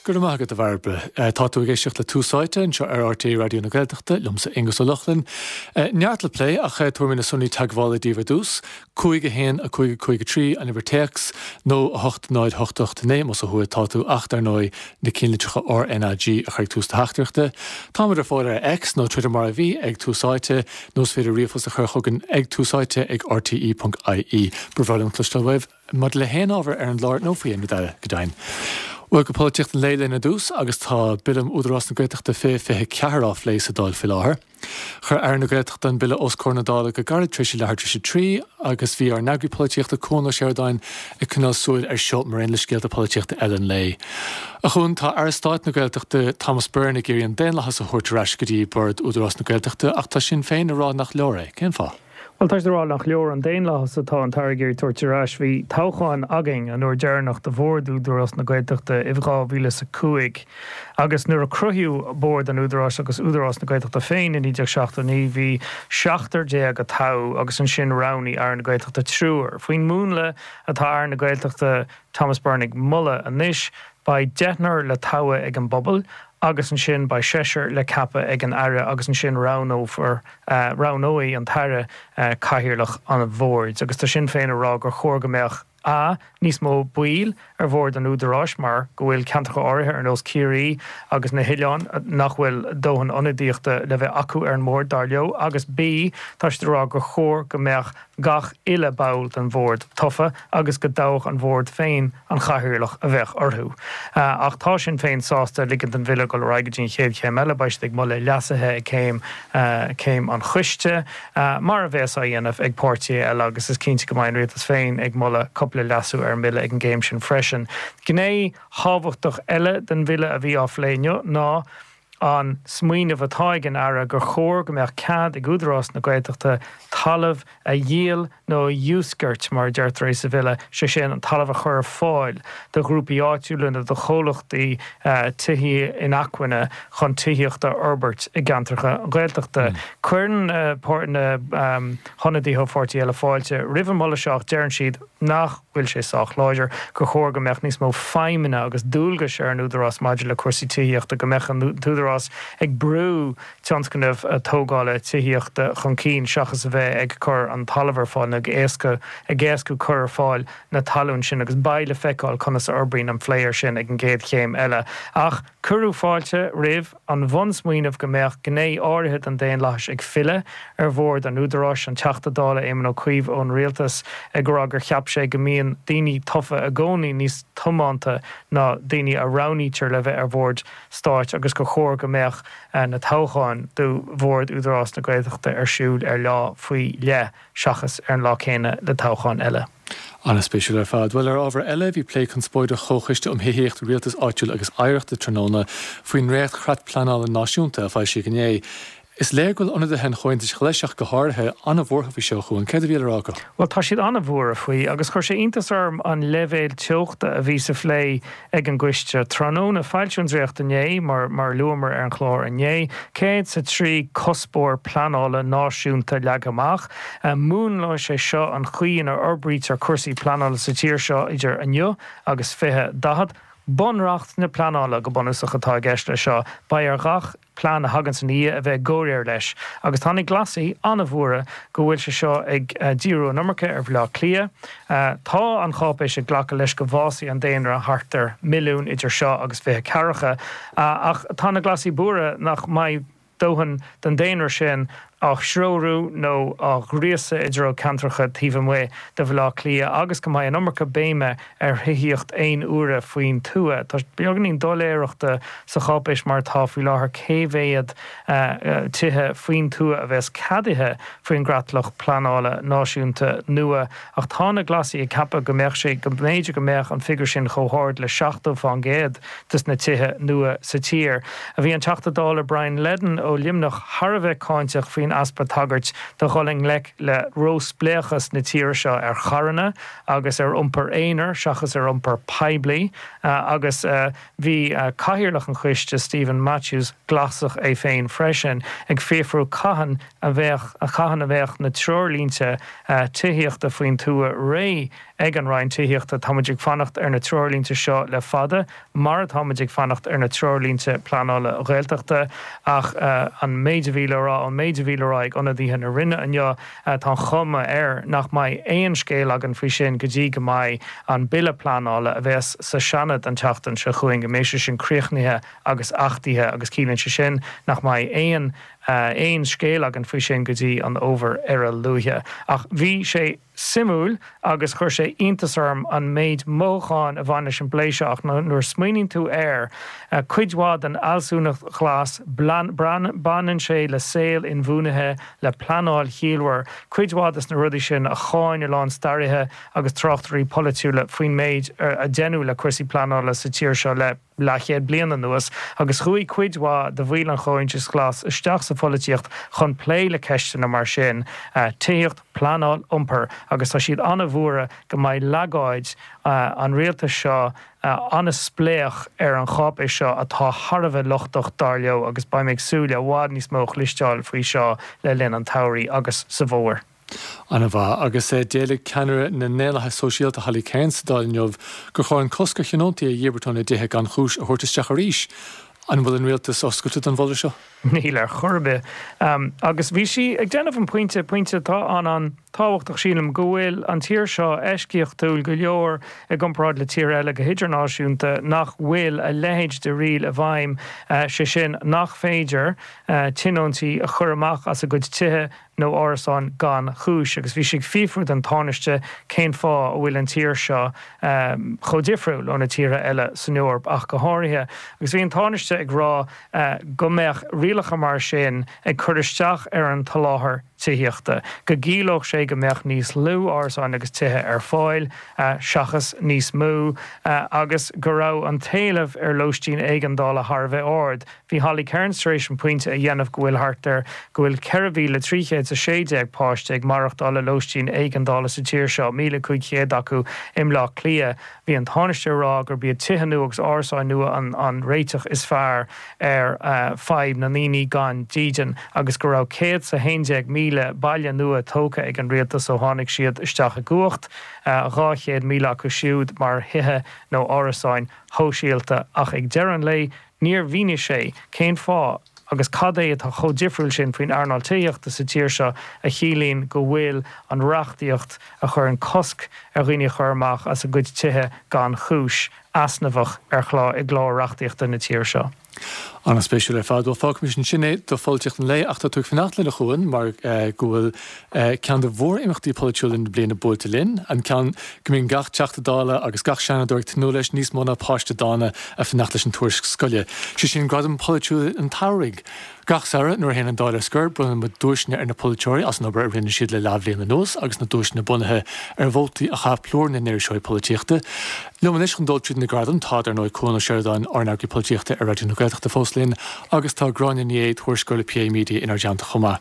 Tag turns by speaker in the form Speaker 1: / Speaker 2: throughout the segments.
Speaker 1: Go raibh maith agat, a Bhairbre. Tá tú ag éisteacht le Tús Áite anseo ar RTÉ Raidió na Gaeltachta, liomsa Aonghus Ó Lochlainn. Neart le plé ach tabharfaidh mé na sonraí teagmhála daoibh ar dtús, 5 1 5 5 3 an uimhir téacs, nó 8 0 8 8 9 más ó thuaidh atá tú ach dar ndóigh na cinnlitreacha RnaG a chur ag tús do theachtaireachta. Táimid ar fáil ar X, nó Twitter mar a bhí, ag Tús Áite, nó is féidir ríomhphost a chur chugainn ag túsáite ag rte.ie. Ba bhreá liom cloisteáil uaibh. Maidir le haon ábhar ar an gclár nó faoi aon rud eile, go deimhin. Bhuel, go polaitíocht an lae linn ar dtús agus tá Bille um Údarás na Gaeltachta 2024 á phlé sa Dáil faoi láthair. Chuir Aire na Gaeltachta an Bille os comhair na Dála go gairid tar éis a leathuair tar éis a 3 agus bhí ár n-eagraí polaitíochta Cuan Ó Seireadáin ag coinneáil súil air seo mar aon le scéalta polaitíochta eile an lae. A Chuain, tá Aire Stáit na Gaeltachta Thomas Byrne ag iarraidh an daonlathas a thabhairt ar ais go dtí Bord Údarás na Gaeltachta ach tá Sinn Féin ag rá nach leor é. Cén fáth?
Speaker 2: Bhuel, tá siad ag rá nach leor an daonlathas atá an tAire ag iarraidh tabhairt ar ais. Bhí toghchán againn an uair deireanach do Bhord Údarás na Gaeltachta i 2005 agus nuair a cruthaíodh Bord an Údaráis agus Údarás na Gaeltachta féin i 1979 bhí seachtar déag a toghadh agus ansin roghnaigh Aire na Gaeltachta triúr. Faoin múnla atá Aire na Gaeltachta Thomas Byrne ag moladh anois, beidh deichniúr le toghadh ag an bpobal agus ansin beidh seisear le ceapadh ag an Aire agus ansin roghnófar, roghnóidh an tAire cathaoirleach an bhoird. Agus tá Sinn Féin ag rá gur chóir go mbeadh a. níos mó baill ar bhord an Údaráis mar go bhfuil ceantracha áirithe ar nós Ciarraí agus na hoileáin nach bhfuil dóthain ionadaíochta le bheith acu ar an mbord, dar leo, agus b. tá siad ag rá gur chóir go mbeadh gach uile ball den bhord tofa agus go dtoghfadh an bhord féin an chathaoirleach a bheadh orthu. Ach tá Sinn Féin sásta ligint don bhille dul ar aghaidh go dtí an chéad chéim eile. Beidh siad ag moladh leasuithe ag céim céim an choiste, mar a bheas á dhéanamh ag páirtithe eile agus is cinnte go mbeidh an rialtas féin ag moladh cúpla leasú ar an mbille ag an gcéim sin freisin. Gné thábhachtach eile den bhille a bhí á phlé inniu ná an smaoineamh atá ag an Aire gur chóir go mbeadh cead ag Údarás na Gaeltachta talamh a dhíol nó a dhiúscairt, mar a deirtear é sa bhille, sé sin, an talamh a chur ar fáil do ghrúpaí áitiúla nó do chomhlachtaí tithí inacmhainne chun tithíocht a fhorbairt i gceantracha Gaeltachta. Cuireann na hionadaithe ó pháirtithe eile fáilte roimh an moladh seo ach deireann siad nach bhfuil sé sách láidir, gur chóir go mbeadh níos mó feidhmeanna agus dualgais ar an Údarás maidir le cúrsaí tithíochta, go mbeadh an tÚdarás ag brú tionscnamh tógála tithíochta chun cinn seachas a bheith ag cur an talamh ar fáil nó ag éasca ag éascú cur ar fáil na talún sin agus beidh le feiceáil conas a fhorbraíonn an plé air sin ag an gcéad chéim eile. Ach cuireadh fáilte roimh an bhunsmaoineamh go mbeadh gné áirithe den daonlathas ag filleadh ar bhord an Údaráis, an Teachta Dála Éamon Ó Cuív ón Rialtas ag rá gur cheap sé go mbíonn daoine tofa i gcónaí níos tiomanta ná daoine a roghnaítear le bheith ar bhoird stáit agus gur chóir go mbeadh na toghcháin do bhord Údarás na Gaeltachta ar siúl ar lá faoi leith seachas ar an lá céanna le toghcháin eile.
Speaker 1: An-spéisiúil ar fad. Bhuel, ar ábhar eile, bhí plé conspóideach Chomhchoiste um Thithíocht, Rialtas Áitiúil agus Oidhreachta tráthnóna faoin ndréacht-Chreat Pleanála Náisiúnta a foilsíodh inné. Is léir go bhfuil ionadaithe an Chomhaontais Ghlais ach go háirithe, an-bhuartha faoi seo, a Chuain. Céard a bhí le rá acu?
Speaker 2: Bhuel, tá siad an-bhuartha faoi agus chuir sé iontas orm an leibhéal teochta a bhí sa phlé ag an gcoiste tráthnóna. Foilsíodh an dréacht inné, mar mar a luamar ar an chlár inné. 103 cuspóir pleanála náisiúnta leagtha amach. Múnlóidh sé seo an chaoi ina fhorbraítear cúrsaí pleanála sa tír seo idir inniu agus 2040. Bunreacht na pleanála, go bunúsach, atá i gceist leis seo. Beidh ar ghach. plean a thaganns ina dhiaidh a bheith i gcomhréir leis. Agus tá na Glasaigh an-bhuartha go bhfuil sé seo ag díriú an iomarca ar Bhaile Átha Cliath. Tá an cháipéis ag glacadh leis go bhfásfaidh an daonra thart ar mhilliún idir seo agus 2040. Ach tá na Glasaigh buartha nach mbeidh dóthain den daonra sin á threorú nó á ghríosadh i dtreo ceantracha taobh amuigh de Bhaile Átha Cliath agus go mbeidh an iomarca béime ar thithíocht aon uaire faoin tuath. Tá beagáinín doiléireachta sa cháipéis mar atá faoi láthair cé mhéad tithe faoin tuath a bheas ceadaithe faoin gcreatlach pleanála náisiúnta nua ach tá na Glasaigh ag ceapadh go mbeadh sé, go mb'fhéidir go mbeadh an figiúr sin chomh hard le 70 fán gcéad des na tithe nua sa tír. Bhí an Teachta Dála Brian Leddin ó Luimneach thar a bheith cáinteach faoin. faoin easpa tagairt do dhul i ngleic le róspléachas na tíre seo ar charranna agus ar iompar aonair seachas ar iompar poiblí agus bhí cathaoirleach an choiste, Steven Matthews, Glasach é féin freisin, ag fiafrú cathain a bheadh cathain a bheadh na treoirlínte tithíochta faoin tuath réidh ag an Roinn Tithíochta. Tá muid ag fanacht ar na treoirlínte seo le fada, mar atá muid ag fanacht ar na treoirlínte pleanála Gaeltachta. Ach an méid a bhí le rá, ón méid a bhí le rá ag ionadaithe na Roinne inniu, tá an chuma air nach mbeidh aon scéal againn faoi sin go dtí go mbeidh an Bille Pleanála, a bheas sa Seanad an tseachtain seo chugainn, go mbeidh sé sin críochnaithe agus achtaithe agus ciallaíonn sé sin nach mbeidh aon aon scéal againn faoi sin go dtí an fhómhar ar a luaithe. Ach bhí sé suimiúil agus chuir sé iontas orm an méid mothúcháin a bhain leis an bplé seo ach nuair a smaoiníonn tú air, cuid mhaith den fhealsúnacht ghlas, baineann sé le saol inbhuanaithe, le pleanáil chiallmhar, cuid mhaith des na rudaí sin a cháin a lán staraithe agus tráchtairí polaitiúla faoin méid a deineadh le cúrsaí pleanála sa tír seo le leathchéad bliain anuas agus chuaigh cuid mhaith de bhaill an Chomhaontais Ghlais isteach sa pholaitíocht chun plé le ceisteanna mar sin, tithíocht, pleanáil, iompar agus tá siad an-bhuartha go mbeidh leagáid an rialtais seo an-spléach ar an cháipéis seo atá thar a bheith lochtach dar leo agus beidh mé ag súil le i bhfad níos mó a chloisteáil faoi seo le linn an tsamhraidh agus sa bhfómhar.
Speaker 1: An-mhaith. Agus d'éiligh ceannaire na nDaonlathaithe Sóisialta Holly Cairns sa Dáil inniu gur chóir an cosc ar thionóntaí a dhíbirt óna dtithe gan chúis a thabhairt isteach arís. An bhfuil an rialtas oscailte don mholadh seo?
Speaker 2: Níl ar chor ar bith. Agus bhí sí ag déanamh an pointe, pointe atá an-an-tábhachtach sílim, go bhfuil an tír seo eisceachtúil go leor i gcomparáid le tíortha eile go hidirnáisiúnta nach bhfuil a leithéid de riail i bhfeidhm, sé sin nach féidir tionóntaí a chur amach as a gcuid tithe nó árasáin gan chúis agus bhí sí ag fiafrú den Tánaiste cén fáth a bhfuil an tír seo chomh difriúil ó na tíortha eile san Eoraip ach go háirithe. Agus bhí an Tánaiste ag rá go mbeadh rialacha mar sin ag cur isteach ar an tsoláthar tithíochta, go gciallódh sé go mbeadh níos lú árasáin agus tithe ar fáil seachas níos mó agus go raibh an t-éileamh ar lóistín éigeandála thar a bheith ard. Bhí Holly Cairns tar éis an pointe a dhéanamh go bhfuil thart ar go bhfuil 4,316 páiste ag maireachtáil i lóistín éigeandála sa tír seo, 1,500 acu i mBleá Cliath. Bhí an Tánaiste ag rá gurb iad tithe nua agus árasáin nua an an réiteach is fearr ar fadhb na ndaoine gan dídean agus go raibh 111,000 baile nua tógtha ag an rialtas ó tháinig siad isteach i gcumhacht, 200,000 acu siúd mar thithe nó árasáin shóisialta. Ach ag deireadh an lae Níor mhínigh sé cén fáth agus cad é atá chomh difriúil sin faoin earnáil tithíochta sa tír seo a chiallaíonn go bhfuil an reachtaíocht a chuireann cosc ar dhaoine a chur amach as a gcuid tithe gan chúis, easnamhach ar chlár i gclár reachtaíochta na tíre seo.
Speaker 1: An-spéisiúil ar fad. Bhuel, fágfaimis ansin é do pholaitíocht an lae ach tá tú ag fanacht linn a Chuain mar go bhfuil Ceann de mhór-imeachtaí polaitiúla na bliana buailte linn, an ceann go mbíonn gach Teachta Dála agus gach Seanadóir ag tnúth leis níos mó ná páiste dána ag fanacht leis an tuairisc scoile, sé sin Gradaim Pholaitiúla an tSamhraidh. Gach samhradh, nuair a théann an Dáil ar scor, bronnann muid duaiseanna ar na polaiteoirí as an obair a rinne siad le leathbhliain anuas agus na duaiseanna bunaithe ar vótaí a chaith plúr na n-iriseoirí polaitíochta. Liom anois chun dul tríd na gradaim tá, dar ndóigh, Cuan Ó Seireadáin, ár n-eagraí polaitíochta ar Raidió na Gaeltachta fós linn agus tá Gráinne Ní Aodha, tuairisceoir le PA Media inár dteannta chomh maith.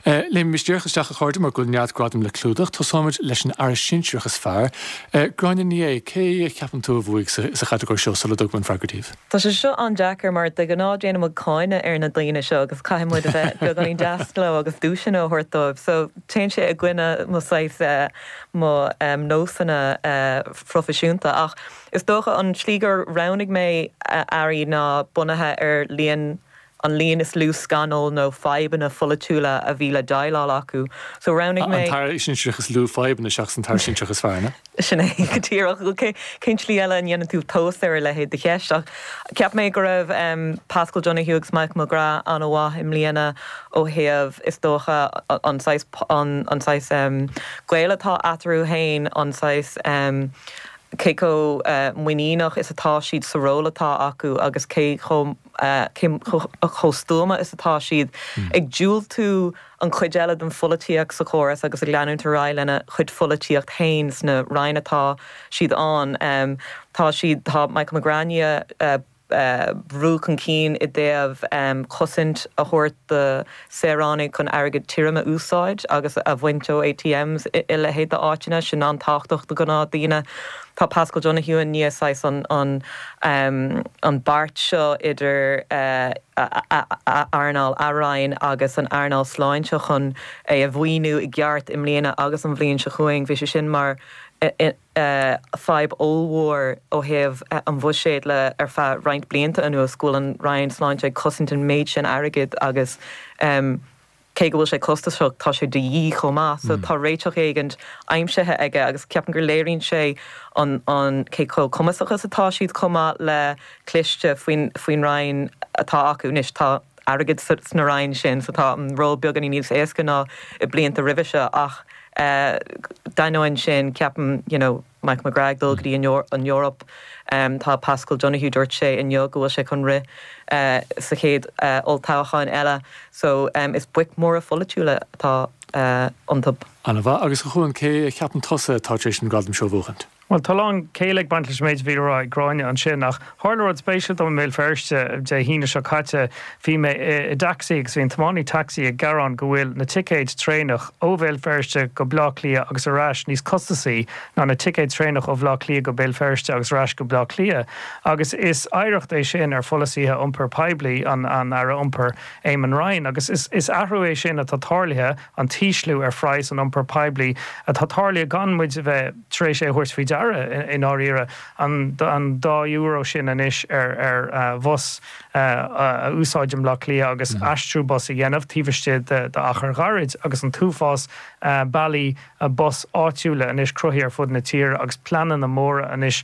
Speaker 1: Léimimis díreach isteach a chairde mar go bhfuil neart gradam le clúdach. Tosóimid leis an Aire Sinsearach is fearr. Gráinne Ní Aodha, cé a cheapann tú a bhuaigh sa chatagóir seo sula dtugaim an freagra daoibh?
Speaker 3: Tá sé seo an-deacair mar de ghnáth déanann muid cáineadh ar na daoine seo agus caithfidh muid a bheith beagáinín deas leo agus duaiseanna a thabhairt dóibh. So téann sé i gcoinne mo saghas mo nósanna phroifisiúnta. Ach is dócha an tslí gur roghnaigh mé airí ná bunaithe ar líon an líon is lú scannal nó fadhbanna pholaitiúla a bhí le déileáil acu. So roghnaigh
Speaker 1: mé. An t-aire sinsearach is lú fadhbanna seachas an t-aire sinsearach is fearr, an
Speaker 3: ea? Sin é go díreach. Cén tslí eile a ndéanann tú tomhas ar a leithéid de cheist? Ach cheap mé go raibh Paschal Donohoe agus Michael McGrath an-mhaith i mbliana ó thaobh, is dócha, an saghas, an saghas gaol atá eatarthu féin, an saghas, cé chomh muiníneach is atá siad sa ról atá acu agus cé chomh. cé chomh stuama is atá siad ag diúltú an chuid eile den pholaitíocht sa chóras agus ag leanúint ar aghaidh lena chuid pholaitíocht féin sna ranna atá siad ann. Tá siad, tá Michael McGrath i ndiaidh. bhrú chun cinn i dtaobh cosaint a thabhairt do saoránaigh chun airgead tirim a úsáid agus a bhaint ó ATMs i leithéid d'áiteanna, sin an-tábhachtach do ghnáthdaoine. Tá Paschal Donohoe i ndiaidh saghas an an beart seo idir earnáil a roinn agus an earnáil sláinte chun é a mhaoiniú i gceart i mbliana agus an bhliain seo chugainn. Bhí sé sin mar fadhb ollmhór ó thaobh an bhuiséid le ar feadh roinnt blianta anuas, go bhfuil an Roinn Sláinte ag cosaint an méid sin airgid agus cé go bhfuil sé costasach, tá sé de dhíth chomh maith. So tá réiteach éigint aimsithe aige agus ceapaim gur léiríonn sé an an cé chomh cumasach is atá siad chomh maith le cliste faoin faoin Roinn atá acu. Anois tá airgead sna Roinn sin so tá an ról beagáinín níos éasca ná i blianta roimhe seo ach D'ainneoin sin, ceapaim, you know, Michael McGrath ag dul go dtí an Eoraip, tá Paschal Donohoe, dúirt sé inniu go bhfuil sé chun rith sa chéad olltoghchán eile, so is boic mhóra pholaitiúla atá iontu.
Speaker 1: An-mhaith. Agus a Chuain, cé a cheapann tusa atá tar éis an gradam seo a bhuachaint?
Speaker 2: Bhuel, tá a lán céille ag baint leis an méid a bhí le rá ag Gráinne ansin, ach tharla rud spéisiúil dom i mBéal Feirste Dé hAoine seo caite. Bhí mé i dtacsaí agus bhí an tiománaí tacsaí ag gearán go bhfuil na ticéid traenach ó Bhéal Feirste go Bleá Cliath agus ar ais níos costasaí ná na ticéid traenach ó Bhleá Cliath go Béal Feirste agus ar ais go Bleá Cliath. Agus is oidhreacht é sin ar pholasaithe iompair poiblí an Aire Iompair, Eamon Ryan. Agus is athrú é sin atá tarlaithe, an t-ísliú ar phraghas an iompair poiblí atá tarlaithe gan muid a bheith tar éis é a thabhairt faoi deara i ndáiríre, an dá euro sin anois ar bhus a úsáid i mBleá Cliath agus aistriú bus a dhéanamh taobh istigh d'achar ghairid agus an t-uafás bealaí bus áitiúla anois cruthaithe ar fud na tíre agus pleananna móra anois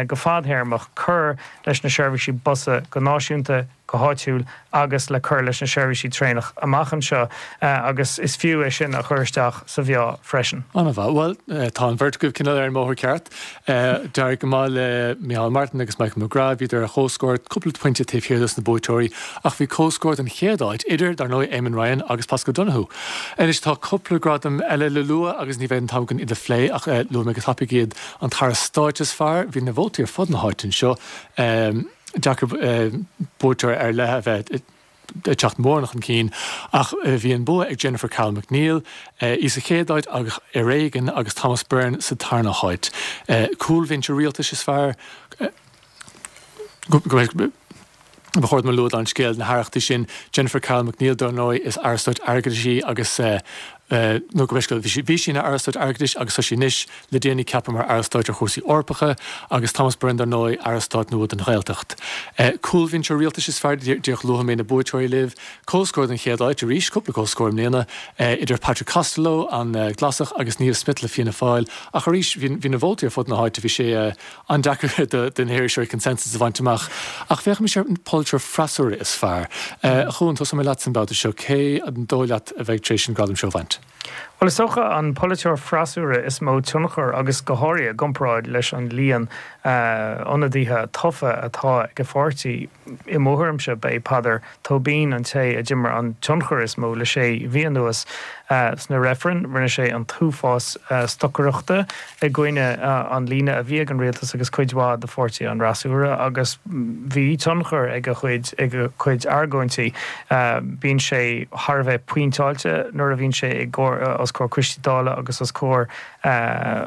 Speaker 2: go fadthéarmach cur leis na seirbhísí busa go náisiúnta, go háitiúil agus le cur leis na seirbhísí traenach amach anseo agus is fiú é sin a chur isteach sa mheá freisin.
Speaker 1: An-mhaith. Bhuel, tá an bheirt agaibh cineál ar an mbóthar ceart. D'éirigh go maith le Micheál Martin agus Michael McGrath, bhíodar ar chomhscór, cúpla pointe taobh thiar dos na buaiteoirí, ach bhí comhscór don chéad áit idir, dar ndóigh, Eamon Ryan agus Paschal Donohoe. Anois tá cúpla gradam eile le lua agus ní bheidh an t-am againn iad a phlé ach luafaidh mé go tapaidh iad. An tAire Stáit is fearr, bhí na vótaí ar fud na háite anseo. Deacair buaiteoir ar leith a bheith ag teacht mórán chun cinn ach bhí an bua ag Jennifer Carroll MacNeill, í sa chéad áit ach ar éigean, agus Thomas Byrne sa tarna háit. Cúlbhinse rialtais is fearr. Ba chóir dom a lua don scéal na haireachtaí sin, Jennifer Carroll MacNeill dar ndóigh, is Aire Stáit Airgeadais í agus nó go bhfeisceáil, bhí sí, bhí sí ina Aire Stáit Airgeadais agus tá sí anois le déanaí ceaptha mar Aire Stáit ar chúrsaí Eorpacha agus Thomas Byrne dar ndóigh, Aire Stáit nua don Ghaeltacht. Cúlbhinse Rialtais is fearr, díreach luafaidh mé na buaiteoirí libh. Comhscór don chéad áit arís, cúpla comhscór i mbliana, idir Patrick Costello, an Glasach, agus Niamh Smith le Fianna Fáil ach arís bhí, bhí na vótaí ar fud na háite, bhí sé an-deacair do na hiriseoirí consensus a bhaint amach. Ach féachaimis ar an polaiteoir freasúra is fearr. A Chuain, tosóidh mé leatsa an babhta seo. Cé an dóigh leat a bheidh tar éis an gradam seo a bhaint?
Speaker 2: Bhuel, is dócha an polaiteoir freasúra is mó tionchar agus go háirithe i gcomparáid leis an líon ionadaithe tofa atá ag a pháirtí, I mo thuairimse, ba é Peadar Tóibín an té a d'imir an tionchar is mó le sé mhí anuas. Sna reifrinn, rinne sé an t-uafás stocaireachta i gcoinne an líne a bhí ag an rialtas agus cuid mhaith de pháirtí an fhreasúra agus bhí tionchar ag a chuid ag a chuid argóintí. Bíonn sé thar a bheith pointeáilte nuair a bhíonn sé i os comhair coistí Dála agus os comhair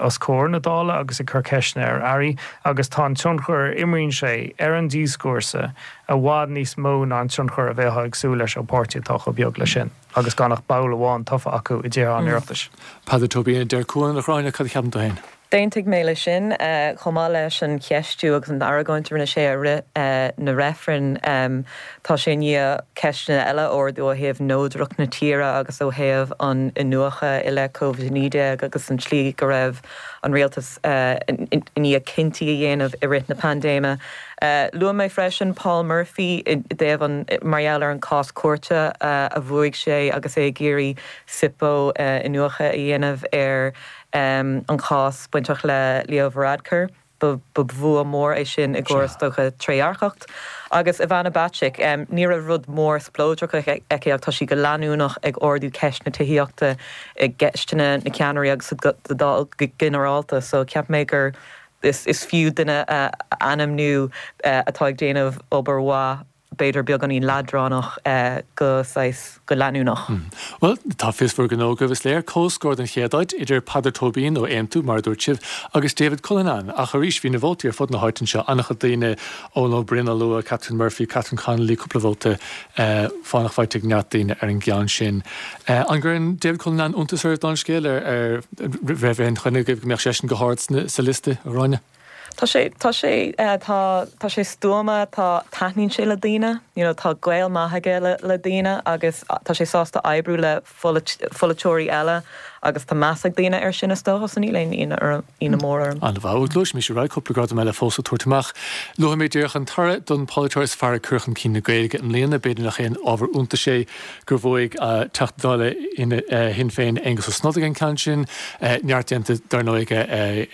Speaker 2: os comhair na Dála agus ag cur ceisteanna ar airí agus tá an tionchar a imríonn sé ar an díoscúrsa i bhfad níos mó ná an tionchar a bheifeá ag súil leis ó pháirtí atá chomh beag leis sin agus gan ach ball amháin tofa acu i dTithe an Oireachtais.
Speaker 1: Peadar Tóibín a deir Cuan, a Ghráinne, cad a cheapann tú féin?
Speaker 3: D'aontaigh mé leis sin, chomh maith leis an cheistiú agus an argóint a rinne sé i rith na reifreann. Tá sé i ndiaidh ceisteanna eile a ardú ó thaobh neodracht na tíre agus ó thaobh an iniúchadh i leith Covid-19 agus an tslí go raibh an rialtas i ndiaidh cinntí a dhéanamh i rith na paindéime. Luaigh mé freisin Paul Murphy i dtaobh an, mar gheall ar an cás cúirte a bhuaigh sé agus é ag iarraidh SIPO iniúchadh a dhéanamh ar an chás bainteach le Leo Varadkar. Ba bhua mór é sin i gcomhair, is dócha, trédhearcacht. Agus Ivana Bacik, ní raibh rud mór spleodrach aici ach tá sí go leanúnach ag ardú ceist na tithíochta i gceisteanna na ceannairí agus sa Dáil go ginearálta. So cheap mé gur. Is fiú duine a ainmniú atá ag déanamh obair mhaith, b'fhéidir beagáinín leadránach go saghas, go leanúnach.
Speaker 1: Bhuel, tá fios bhur ngnó agaibh, is léir. Comhscór don chéad áit idir Peadar Tóibín ó Aontú, mar a dúirt sibh, agus David Cullinane. Ach arís, bhí na vótaí ar fud na háite anseo, an-chuid daoine, Eoin Ó Broin á lua, Catherine Murphy, Catherine Connolly, cúpla vóta fánach faighte ag neart daoine ar an gceann sin. An gcuireann David Cullinane iontas oraibh don scéal? Ar raibh aon choinne agaibh go mbeadh seisean go hard sa liosta, a Ghráinne?
Speaker 3: Tá sé, tá sé, tá, tá sé stuama, tá, taitníonn sé le daoine, you know, tá gaol maith aige le, le daoine agus tá sé sásta oibriú le pholaiteoirí eile agus tá meas ag daoine air sin is dócha, so níl aon ionadh orm, ionadh mór orm.
Speaker 1: An-mhaith. Bhuel, gluaisfimis ar aghaidh, cúpla gradam eile fós le tabhairt amach. Luafaidh mé díreach an toradh don pholaiteoir is fearr ag cur chun cinn na Gaeilge i mbliana. B'fhéidir nach aon ábhar iontais é gur bhuaigh Teachta Dála Shinn Féin Aengus Ó Snodaigh an ceann sin. Neart déanta dar ndóigh aige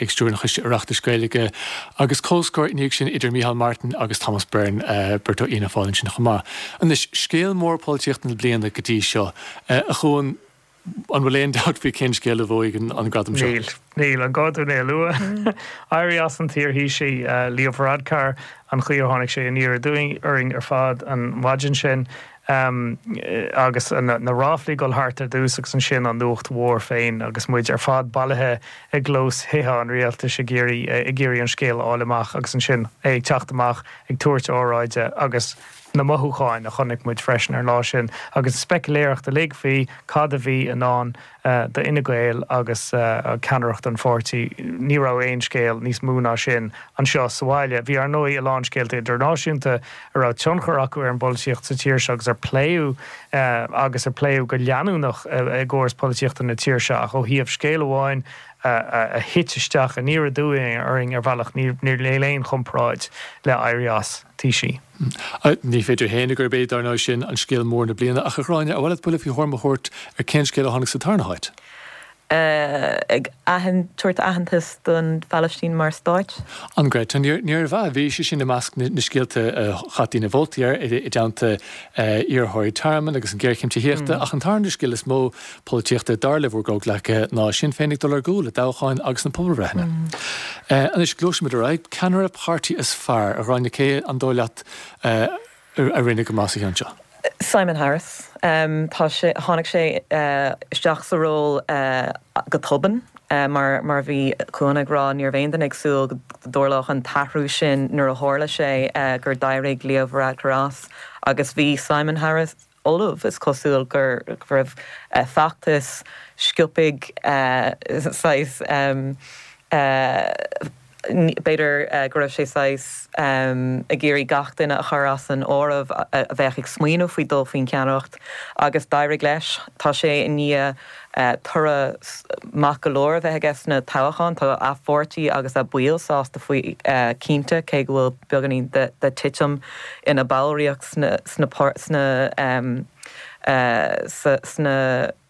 Speaker 1: ag stiúradh an Choiste Oireachtais Gaeilge. Agus comhscór ina dhiaidh sin idir Micheál Martin agus Thomas Byrne, beirt ó Fhianna Fáil ansin chomh maith. Anois, scéal mór polaitíochta na bliana go dtí seo, a Chuain, an bhfuil aon dabht faoi cén scéal a bhuaigh an gradam seo?
Speaker 2: Níl. Níl. An gá dúinn é a lua? Éirí as an iarThaoisigh, Leo Varadkar, an chaoi ar tháinig sé aniar aduaidh orainn ar fad an mhaidin sin. Agus na ráflaí ag dul thart ar dtús agus ansin an nuacht mhór féin agus muid ar fad bailithe i gclós Thithe an Rialtais ag iarraidh ag iarraidh an scéal a fháil amach agus ansin é ag teacht amach ag tabhairt óráide agus na mothúcháin a chonaic muid freisin ar an lá sin agus an speiciléireacht uilig faoi cad a bhí i ndán do Fhine Gael agus ceannaireacht an pháirtí. Ní raibh aon scéal níos mó ná sin anseo sa bhaile. Bhí, ar ndóigh, a lán scéalta idirnáisiúnta a raibh tionchar acu ar an bpolaitíocht sa tír seo agus ar pléadh agus ar pléadh go leanúnach i gcóras polaitíochta na tíre seo ach ó thaobh scéal amháin a thit isteach aniar aduaidh orainn ar bhealach, níl aon chomparáid le éirí as Taoisigh.
Speaker 1: Ní féidir a shéanadh gurb é, dar ndóigh, sin an scéal mór na bliana. Ach, a Ghráinne, ar mhaith leat buille faoi thuairim a thabhairt ar cén scéal a tháinig sa tarna háit?
Speaker 3: Ag tabhairt aitheantas don Phalaistín mar stáit.
Speaker 1: An Greta, níorbh ea. Bhí sé sin i measc na scéalta a chaith daoine vótaí air, i dteannta iarrthóirí tearmainn agus an ghéarchéim tithíochta. Ach an tarna scéal is mó polaitíochta, dar le bhur gcomhghleacaithe, ná Sinn Féin ag dul ar gcúl i dtoghcháin agus sna pobalbhreitheanna. Anois, gluaisimid ar aghaidh. Ceannaire páirtí is fearr, a Ghráinne, cé an dóigh leat a rinne go maith sa cheann seo?
Speaker 3: Simon Harris. Tá sé, tháinig sé isteach sa ról go tobann. Mar mar a bhí Cuan ag rá, ní raibh aon duine ag súil go dtarlódh an t-athrú sin nuair a tharla sé gur d'éirigh Leo Varadkar as agus bhí Simon Harris ullamh. Is cosúil go raibh feachtas sciobtha saghas, b'fhéidir go raibh sé saghas ag iarraidh gach duine a chur as an áireamh a bheadh ag smaoineamh faoi dul faoin cheannaireacht agus d'éirigh leis. Tá sé i ndiaidh toradh maith go leor a bheith aige sna toghcháin. Tá a pháirtí agus a baill sásta faoi cinnte, cé go bhfuil beagáinín de titim ina ballraíocht sna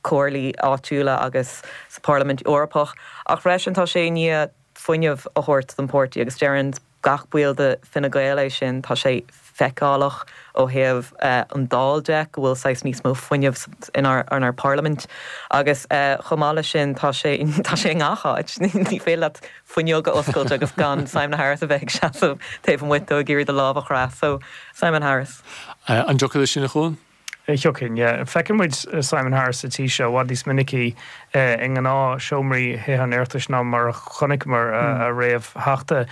Speaker 3: comhairlí áitiúla agus sa Pharlaimint Eorpach. Ach freisin tá sé i ndiaidh fuinneamh a thabhairt don pháirtí agus deireann gach baill de Fine Gael é sin. Tá sé feiceálach ó thaobh an Dáil de go bhfuil saghas níos mó fuinnimh inár bparlaimint agus chomh maith leis sin tá sé tá sé i ngach áit. Ní féidir leat fuinneog a oscailt agus gan Simon Harris a bheith ag seasamh taobh amuigh dó ag iarraidh do lámh a chroitheadh. So, Simon Harris.
Speaker 1: An dtiocfá leis sin, a Chuain?
Speaker 2: Thiocfainn, yeah. Feiceann muid Simon Harris sa tí seo i bhfad níos minicí i ngnáthsheomraí Thithe an Oireachtais ná mar a chonaiceamar a réamhtheachta.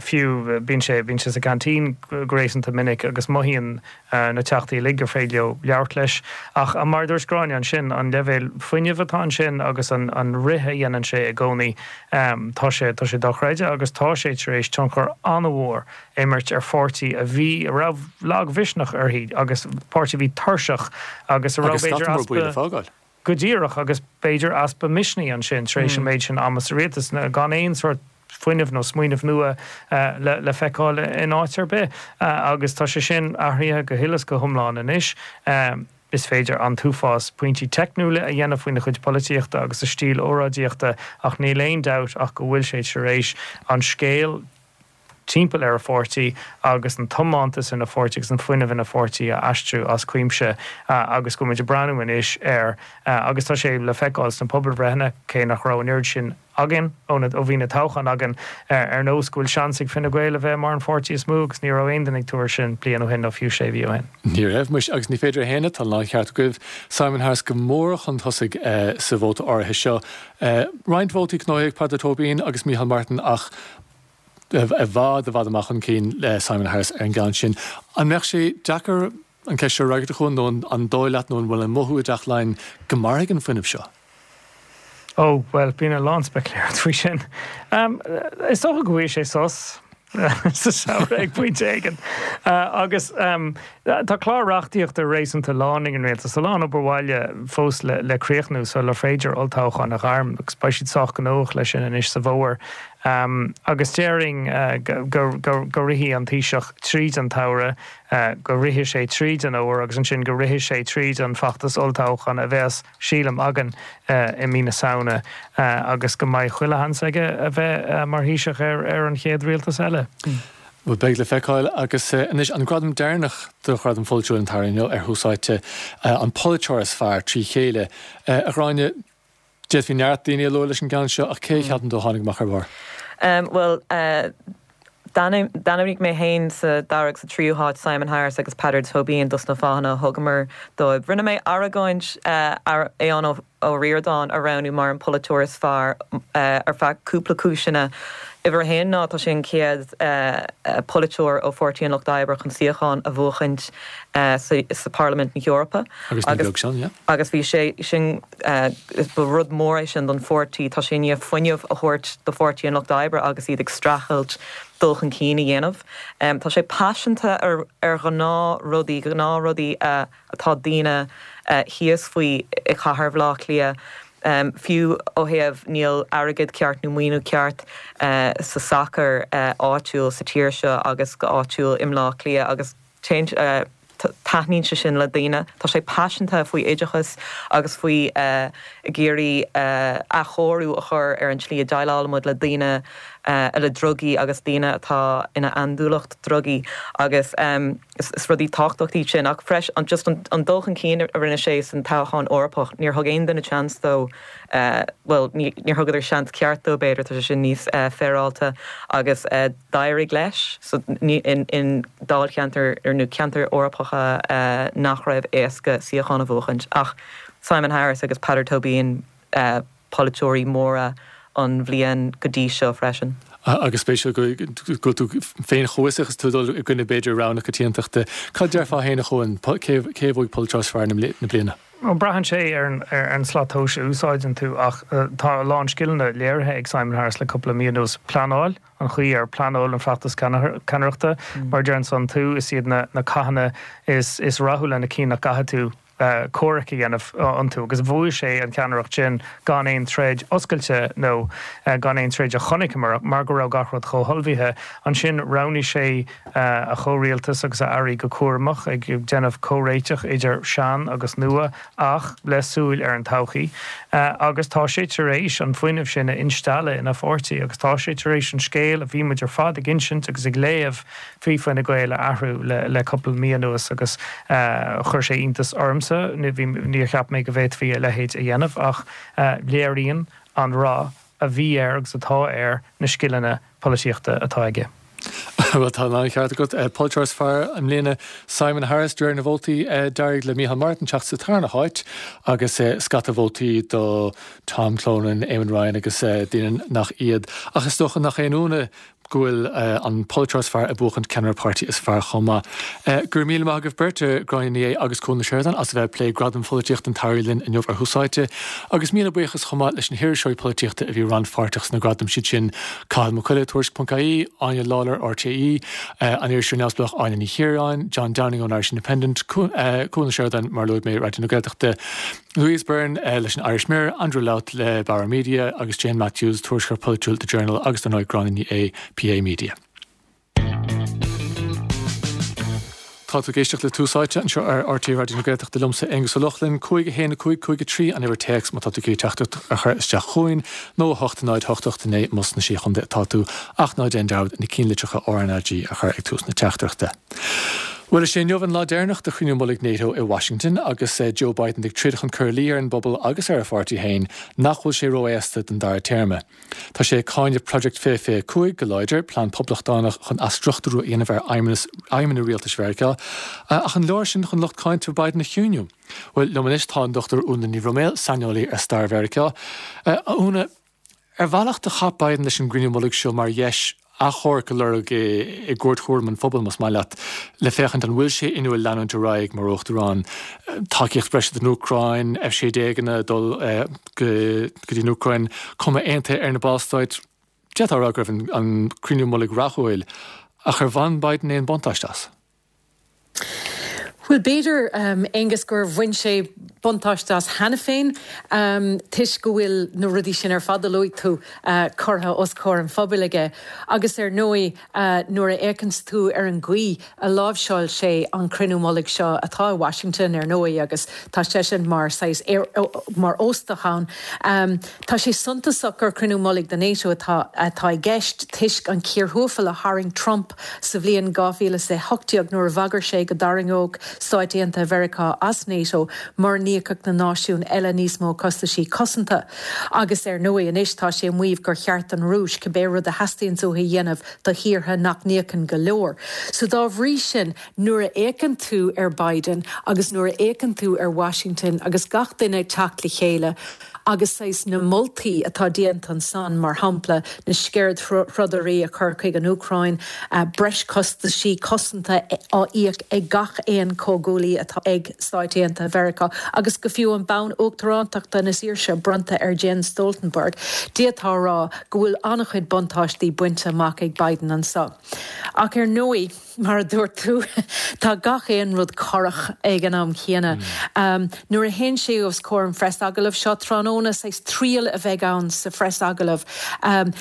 Speaker 2: Fiú, bíonn sé, bíonn sé sa gceaintín go réasúnta minic agus mothaíonn na Teachtaí uilig gur féidir leo labhairt leis. Ach mar a dúirt Gráinne ansin, an leibhéal fuinnimh atá ansin agus an rith a dhéanann sé i gcónaí, tá sé, tá sé dochreidte agus tá sé tar éis tionchar an-mhór imirt ar pháirtí a bhí, a raibh lagmhisneach uirthi agus páirtí a bhí tuirseach agus a raibh
Speaker 1: b'fhéidir easpa,
Speaker 2: go díreach, agus b'fhéidir easpa misnigh ansin tar éis an méid sin ama sa rialtas, gan aon sórt fuinnimh nó smaoineamh nua le feiceáil in áit ar bith. Agus tá sé sin athraithe go huile is go hiomlán anois. Is féidir an t-uafás pointí teicniúla a dhéanamh faoina chuid polaitíochta agus a stíl óráidíochta ach níl aon dabht ach go bhfuil sé tar éis an scéal. timpeall ar a pháirtí agus an tiomantas ina pháirtí agus an fuinneamh ina pháirtí a aistriú as cuimse agus go bhfuil muid ag breathnú anois air agus tá sé le feiceáil sna pobalbhreitheanna, cé nach raibh an oiread sin againn ó ó bhí na toghcháin againn, ar nós go bhfuil seans ag Fine Gael a bheith mar an pháirtí is mó agus ní raibh aon duine ag tuar sin bliain ó shin nó fiú sé mhí ó shin.
Speaker 1: Ní raibh, muis, agus ní féidir a shéanadh, tá an láncheart agaibh, Simon Harris go mór chun tosaigh sa vóta áirithe seo. Roinnt vótaí gnóthaithe ag Peadar Tóibín agus Micheál Martin ach i bhfad, i bhfad amach chun cinn le Simon Harris ar an gceann sin. An mbeadh sé deacair an ceist seo a fhreagairt, a Chuain, nó an dóigh leat nó an bhfuil an mothú i dTeach Laighean go mairfidh an fuinneamh seo?
Speaker 2: Ó, bhuel, bíonn a lán speicealaíocht faoi sin. Is dócha go bhfaighidh sé sos sa samhradh ag pointe éigin. Agus tá clár reachtaíochta réasúnta lán ag an rialtas, a lán obair bhaile fós le críochnú sular féidir olltoghchán a ghairm, agus beidh siad sách gnóthach leis sin anois sa bhfómhar. Agus déarfainn go rithfidh an Taoiseach tríd an tsamhradh, go rithfidh sé tríd an fhómhar agus ansin go rithfidh sé tríd an feachtas olltoghcháin a bheas, sílim, againn i mí na Samhna agus go mbeidh chuile sheans aige a bheith mar Thaoiseach ar an chéad rialtas eile.
Speaker 1: Bhuel, beidh le feiceáil. Agus anois an gradam deireanach do Ghradaim Pholaitiúil an tSamhraidh inniu ar Thús Áite, an polaiteoir is fearr trí chéile. A Ghráinne, D'fhéadfaí neart daoine a lua leis an gceann seo, ach cé a cheapann tú a tháinig amach ar
Speaker 3: barr? Bhuel, d'ainmnigh mé féin sa dara agus sa tríú háit Simon Harris agus Peadar Tóibín dos na fáthanna a thugamar dóibh. Rinne mé argóint Aodhán Ó Ríordáin a roghnú mar an polaiteoir is fearr ar feadh cúpla cúiseanna. Uimhir a haon ná tá sé an chéad polaiteoir ó Pháirtí an Lucht Oibre chun suíochán a bhuachaint sa Parlaimint na hEorpa.
Speaker 1: Agus ní beag sin, yeah.
Speaker 3: Agus bhí sé sin. Ba rud mór é sin don pháirtí. Tá sé i ndiaidh fuinneamh a thabhairt do Pháirtí an Lucht Oibre agus iad ag streachailt dul chun cinn a dhéanamh. Tá sé paiseanta ar ghnáthrudaí, gnáthrudaí atá daoine thíos faoi i chathair Bhaile Átha Cliath. Fiú ó thaobh níl airgead ceart nó maoiniú ceart sa sacar áitiúil sa tír seo agus go áitiúil i mBleá Cliath agus téann Taitníonn sé sin le daoine. Tá sé paiseanta faoi oideachas agus faoi ag iarraidh athchóiriú a chur ar an tslí a déileálaimid le daoine le drugaí agus daoine atá ina andúileacht drugaí agus is rudaí tábhachtacha iad sin. Ach freisin just an dul chun cinn a rinne sé san toghchán Eorpach, níor thug aon duine seans dó, bhuel níor thugadar seans ceart dó b'fhéidir, tá sé sin níos féaráilte agus. D'éirigh leis in dáilcheantair nó ceantair Eorpacha nach raibh éasca suíochán a bhuachaint. Ach Simon Harris agus Peadar Tóibín, polaiteoirí móra an bhliain go dtí seo freisin.
Speaker 1: Agus spéisiúil go bhfuil tú féin chomh fiosrach is tú ag dul i gcoinne b'fhéidir rogha na coitiantachta. Cad déarfá féin a Chuain? Cé a bhuaigh polaiteoir is fearr na bliana?
Speaker 2: Bhuel, braitheann sé ar an slat tomhais a úsáideann tú ach tá a lán scileanna léirithe ag Simon Harris le cúpla mí anuas. Pleanáil, an chaoi ar pleanáil an feachtas ceannaireachta, mar a deireann tú, is iad na cathanna is rathúla na cinn nach gcaithfidh tú comhrac a dhéanamh iontu agus bhuaigh sé an cheannaireacht sin gan aon troid oscailte nó gan aon troid a chonaiceamar mar go raibh gach rud chomh hullmhaithe. Ansin roghnaigh sé a chomhrialtas agus a airí go cúramach, ag déanamh comhréiteach idir sean agus nua ach le súil ar an todhchaí. Agus tá sé tar éis an fuinneamh sin a instealladh ina pháirtí agus tá sé tar éis an scéal a bhí muid ar fad ag insint agus ag léamh faoi Fine Gael a athrú le cúpla mí anuas agus chuir sé iontas ormsa, níor cheap mé go bhféadfaí a leithéid a dhéanamh ach léiríonn an rath a bhí air agus atá air na scileanna polaitíochta atá aige.
Speaker 1: Bhuel, tá an ceart agat. Polaiteoir is fearr i mbliana, Simon Harris, de réir na vótaí. D'éirigh le Micheál Martin teacht sa tarna háit agus scata vótaí do Tom Clonan, Eamon Ryan agus daoine nach iad. Ach is dócha nach aon ionadh go bhfuil an polaiteoir is fearr ag buachaint ceannaire páirtí is fearr chomh maith. Go raibh míle maith agaibh beirt, Gráinne Ní Aodha agus Cuan Ó Seireadáin, as a bheith ag plé Gradaim Pholaitíochta an tSamhraidh linn inniu ar Thús Áite. Agus míle buíochas chomh maith leis na hiriseoirí polaitíochta a bhí rannpháirteach sna gradaim, siad sin Cathal Mac Coille, Tuairisc.ie, Áine Lawlor, RTÉ, an iriseoir neamhspleách Áine Ní Chiaráin, John Downing ón Irish Independent, Cuan Ó Seireadáin, mar a luaigh mé, Raidió na Gaeltachta, Louise Byrne leis an Irish Mirror, Andrew Louth le Bauer Media agus Jane Matthews, tuairisceoir polaitiúil The Journal agus dar ndóigh Gráinne Ní Aodha, PA Media. Tá tú ag éisteacht le Tús Áite anseo ar RTÉ Raidió na Gaeltachta liomsa, Aonghus Ó Lochlainn. 5 1 5 5 3 an uimhir téacs má tá tú ag iarraidh teachtaireacht a chur isteach chugainn, nó 8 0 8 8 9 más sna Sé Chontae atá tú, ach ná déan dearmad na cinnlitreacha RnaG a chur ag tús na teachtaireachta. Bhuel, is é inniu an lá deireanach de chruinniú mullaigh NATO i Washington agus Joe Biden ag troid chun cur i luí ar an bpobal agus ar a pháirtí féin nach bhfuil sé ró-aosta don dara téarma. Tá sé ag cáineadh Project 2025 go láidir, plean poblachtánach chun athstruchtúrú a dhéanamh ar fheidhmeanna rialtais Mheiriceá. Ach an leor sin chun lucht cáinte Biden a chiúiniú? Bhuel, liom anois tá an Dr Úna Ní Bhroiméil, saineolaí ar stair Mheiriceá. A Úna, ar bhealach do chaith Biden leis an gcruinniú mullaigh seo mar dheis achomharc a lorg i gcúirt thuairim an phobail, más maith leat, le féachaint an bhfuil sé inniúil leanúint ar aghaidh mar Uachtarán. Tacaíocht bhreise don Úcráin, F-16anna ag dul go dtí an Úcráin, cuma aontaithe ar na ballstáit. D'fhéadfá a rá go raibh an cruinniú mullaigh rathúil, ach ar bhain Biden aon buntáiste as?
Speaker 4: Bhuel, b'fhéidir, Aonghus, gur bhain sé buntáiste as cheana féin, toisc go bhfuil na rudaí sin ar fad a luaigh tú curtha os comhair an phobail aige. Agus ar ndóigh, nuair a fhéachanns tú ar an gcaoi a láimhseáil sé an cruinniú mullaigh seo, atá i Washington, ar ndóigh, agus tá seisean mar saghas, mar óstach ann, tá sé suntasach gur cruinniú mullaigh de NATO atá atá i gceist toisc an chíor thuafail a tharraing Trump Sa bhliain 2018 nuair a bhagair sé go dtarraingeodh Stáit Aontaithe Mheiriceá as NATO mura n-íocfadh na náisiúin eile níos mó costaisí cosanta. Agus ar ndóigh anois tá sé ag maíomh gur cheart don Rúis cibé rud a theastaíonns uaithi a dhéanamh do thíortha nach n-íocann go leor. So dá bhrí sin nuair a fhéachann tú ar Biden agus nuair a fhéachann tú ar Washington agus gach duine ag teacht le chéile, Agus saghas na moltaí atá déanta ansan, mar shampla, na Sceirdthrodairí a chur chuig an Úcráin, breis costaisí cosanta á íoc ag gach aon chomhghuaillí atá ag Stáit Aontaithe Mheiriceá, agus go fiú an bonn uachtarántachta na saoirse bronnta ar Jens Stoltenberg, d'fhéadfá a rá go bhfuil an-chuid buntáistí bainte amach ag Biden anso. Ach ar ndóigh. Mar a dúirt tú, tá gach aon rud corrach ag an am chéanna. Nuair a théann sé os comhair an phreasagallamh seo tráthnóna, saghas triail a bheidh ann sa phreasagallamh.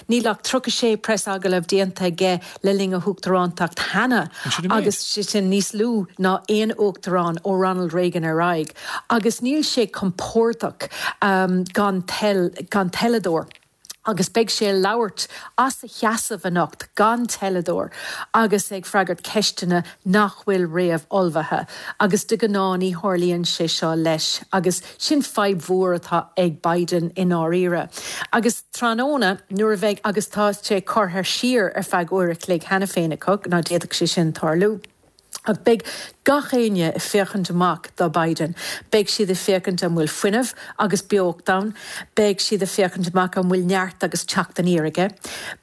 Speaker 4: Níl ach 36 preasagallamh déanta aige le linn a huachtarántacht cheana, agus sé sin níos lú ná aon uachtarán ó Ronald Reagan ar aghaidh. Agus níl sé compordach gan teileadóir. agus beidh sé ag labhairt as a sheasamh anocht gan teileadóir agus ag freagairt ceisteanna nach bhfuil réamh-ullmhaithe agus de ghnáth ní tharlaíonn sé seo leis agus sin fadhb mhór atá ag Biden i ndáiríre. Agus tráthnóna nuair a bheidh, agus tá sé curtha siar ar feadh uair a chloig cheana féin acu, ná d'fhéadfadh sé sin tarlú. Ach beidh gach éinne ag féachaint amach do Biden. Beidh siad ag féachaint an bhfuil fuinneamh agus beocht ann. Beidh siad ag féachaint amach an bhfuil neart agus teacht aniar aige.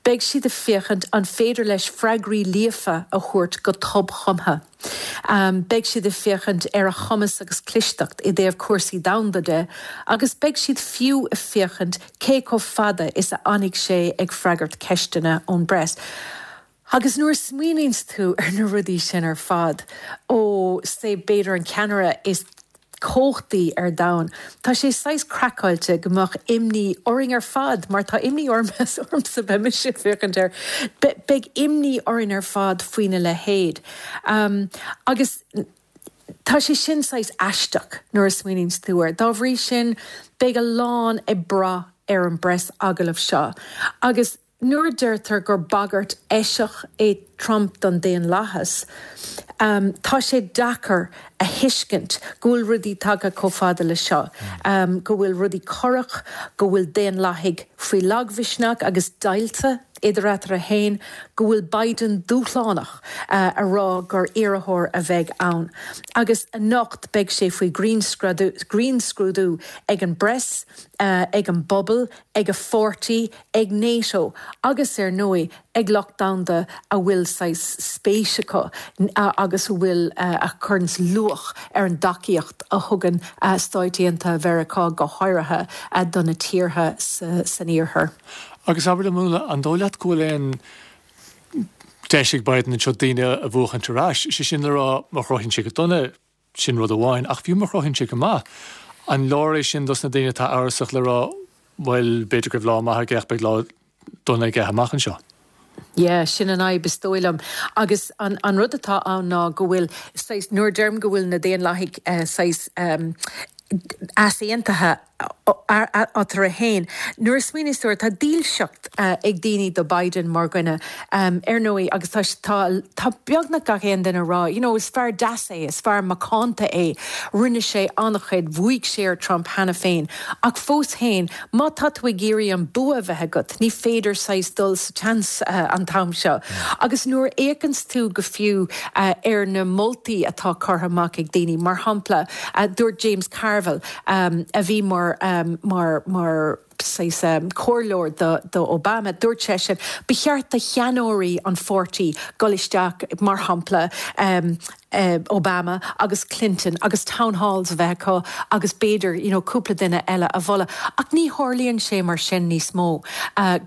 Speaker 4: Beidh siad ag féachaint an féidir leis freagraí líofa a thabhairt go tobchumtha. Beidh siad ag féachaint ar a chumas agus clisteacht i dtaobh cúrsaí domhanda de agus beidh siad fiú ag féachaint cé chomh fada is a fhanfaidh sé ag freagairt ceisteanna ón bpress. Agus nuair a smaoiníonns tú ar na rudaí sin ar fad, ó, say, b'fhéidir an ceannaire is cumhachtaí ar domhan, tá sé saghas craiceáilte go mbeadh imní orainn ar fad, mar tá imní orm, ormsa, beidh mise ag féachaint air, beidh imní orainn ar fad faoina leithéid. Agus tá sé sin saghas aisteach nuair a smaoiníonns tú air. Dá bhrí sin, beidh a lán ag brath ar an bpreas-agallamh seo. Agus. Nuair a deirtear gur bagairt eiseach é Trump don daonlathas, tá sé deacair a thuiscint go bhfuil rudaí tagtha chomh fada le seo, go bhfuil rudaí corrach, go bhfuil daonlathaigh faoi lagmhisneach agus deighilte idir eatarthu féin, go bhfuil Biden dúshlánach a rá gur iarrthóir a bheidh ann. Agus anocht beidh sé faoi ghrinnscrúdú ag an bpress, ag an bpobal, ag a pháirtí, ag NATO agus ar ndóigh ag lucht domhanda a bhfuil saghas spéis acu agus a bhfuil, a chuireanns luach ar an dtacaíocht a thugann Stáit Aontaithe Mheiriceá go háirithe do na tíortha san Iarthar.
Speaker 1: Agus abair liom, Úna, an dóigh leat go bhfuil aon deis ag Biden anseo daoine a bhuachaint ar ais, sé sin le rá má chruthaíonn sé go dona, Sin rud amháin. Ach fiú má chruthaíonn sé go maith, an leor é sin dos na daoine atá amhrasach le rá, bhuel, b'fhéidir go raibh lá maith aige ach beidh lá dona aige amach anseo?
Speaker 4: Yeah, sin an fhadhb is dóigh liom. Agus an an rud atá ann ná go bhfuil saghas, nuair a deirim go bhfuil na Daonlathaigh saghas easaontaithe eatarthu féin, nuair a smaoiníos tú air, tá dílseacht ag daoine do Biden mar dhuine, ar ndóigh, agus tá tá tá beagnach gach aon duine ag rá, you know, is fear deas é, is fear macánta é, rinne sé an-chuid, bhuaigh sé ar Trump cheana féin, ach fós féin, Má tá tú ag iarraidh an bua a bheith agat, ní féidir saghas dul sa tseans an t-am seo. Agus nuair a fhéachanns tú go fiú ar na moltaí atá curtha amach ag daoine, mar shampla, dúirt James Carville, a bhí mar, mar, mar saghas comhairleoir do, do Obama, dúirt seisean, ba cheart do sheanóirí an pháirtí dul isteach, mar shampla, Obama agus Clinton agus town halls a bheith acu agus b'fhéidir you know cúpla duine eile a mholadh. Ach ní tharlaíonn sé mar sin níos mó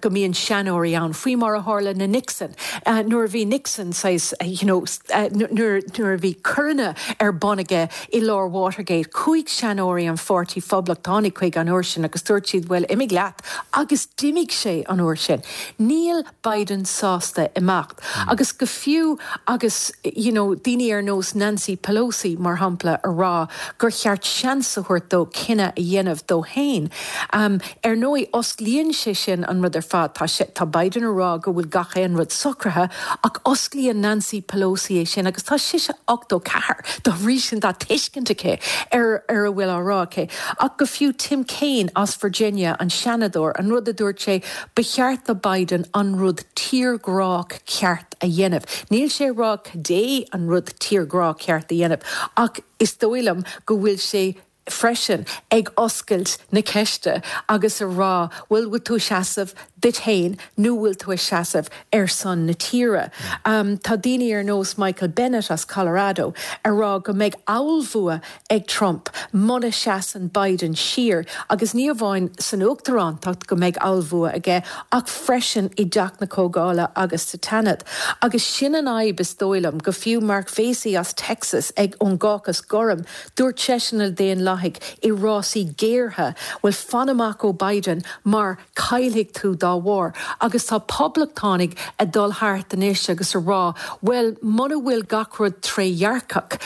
Speaker 4: go mbíonn seanóirí ann, faoi mar a tharla le Nixon. Nuair a bhí Nixon saghas you know nuair nuair a bhí coireanna ar bun aige i lár Watergate, chuaigh seanóirí an pháirtí Phoblachtánaigh chuige an uair sin agus dúirt siad bhuel imigh leat agus d'imigh sé an uair sin. Níl Biden sásta imeacht. Agus go fiú agus you know daoine ar nós Nancy Pelosi, mar shampla, a rá gur cheart seans a thabhairt dó cinneadh a dhéanamh dó féin. Ar ndóigh, osclaíonn sé sin an rud ar fad. Tá sé, tá Biden a rá go bhfuil gach aon rud socraithe, ach osclaíonn Nancy Pelosi é sin agus tá sise 84, dá bhrí sin tá tuiscint aici ar ar a bhfuil á rá aici. Ach go fiú Tim Kaine as Virginia, an Seanadóir, an rud a dúirt sé, Ba cheart do Biden an rud tírghrách ceart a dhéanamh. Níl sé ag rá caidé an rud tírghrách ceart a dhéanamh, ach is dóigh liom go bhfuil sé freisin ag oscailt na ceiste agus a rá, bhuel, bhfuil tú ag seasamh duit féin nó bhfuil tú ag seasamh ar son na tíre? Tá daoine ar nós Michael Bennet as Colorado ag rá go mbeidh ollbhua ag Trump muna seasann Biden siar, agus ní amháin san uachtarántacht go mbeidh ollbhua aige ach freisin i dTeach na Comhdhála agus sa tSeanad. Agus sin an fhadhb is dóigh liom, go fiú Mark Vasey as Texas ag ón gCácas Gorm, dúirt seisean le Daonlathaigh i rásaí géartha, bhuel fan amach ó Biden mar caillfidh tú dá bharr. Agus tá poblachtánaigh ag dul thart anois agus a rá, bhuel, muna bhfuil gach rud trédhearcach,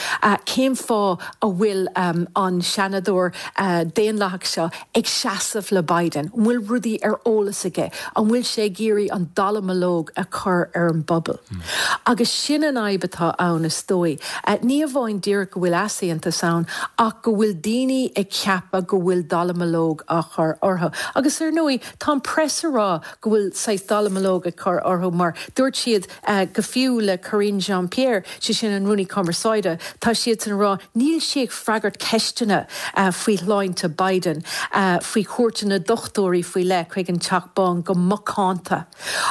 Speaker 4: cén fáth a bhfuil an Seanadóir Daonlathach seo ag seasamh le Biden? An bhfuil rudaí ar eolas aige? An bhfuil sé ag iarraidh an dallamullóg a chur ar an bpobal? Agus sin an fhadhb atá ann, is dóigh. Ní amháin díreach go bhfuil easaontas ann, ach go bhfuil daoine ag ceapadh go bhfuil dallamullóg á chur orthu. Agus ar ndóigh, tá an press a rá go bhfuil saghas dallamullóg ag cur orthu mar dúirt siad go fiú le Karine Jean-Pierre, sé sin an Rúnaí Cumarsáide, tá siadsan a rá níl sí ag freagairt ceisteanna faoi shláinte Biden, faoi chuairteanna dochtúirí faoi leith chuig an Teach Bán go macánta.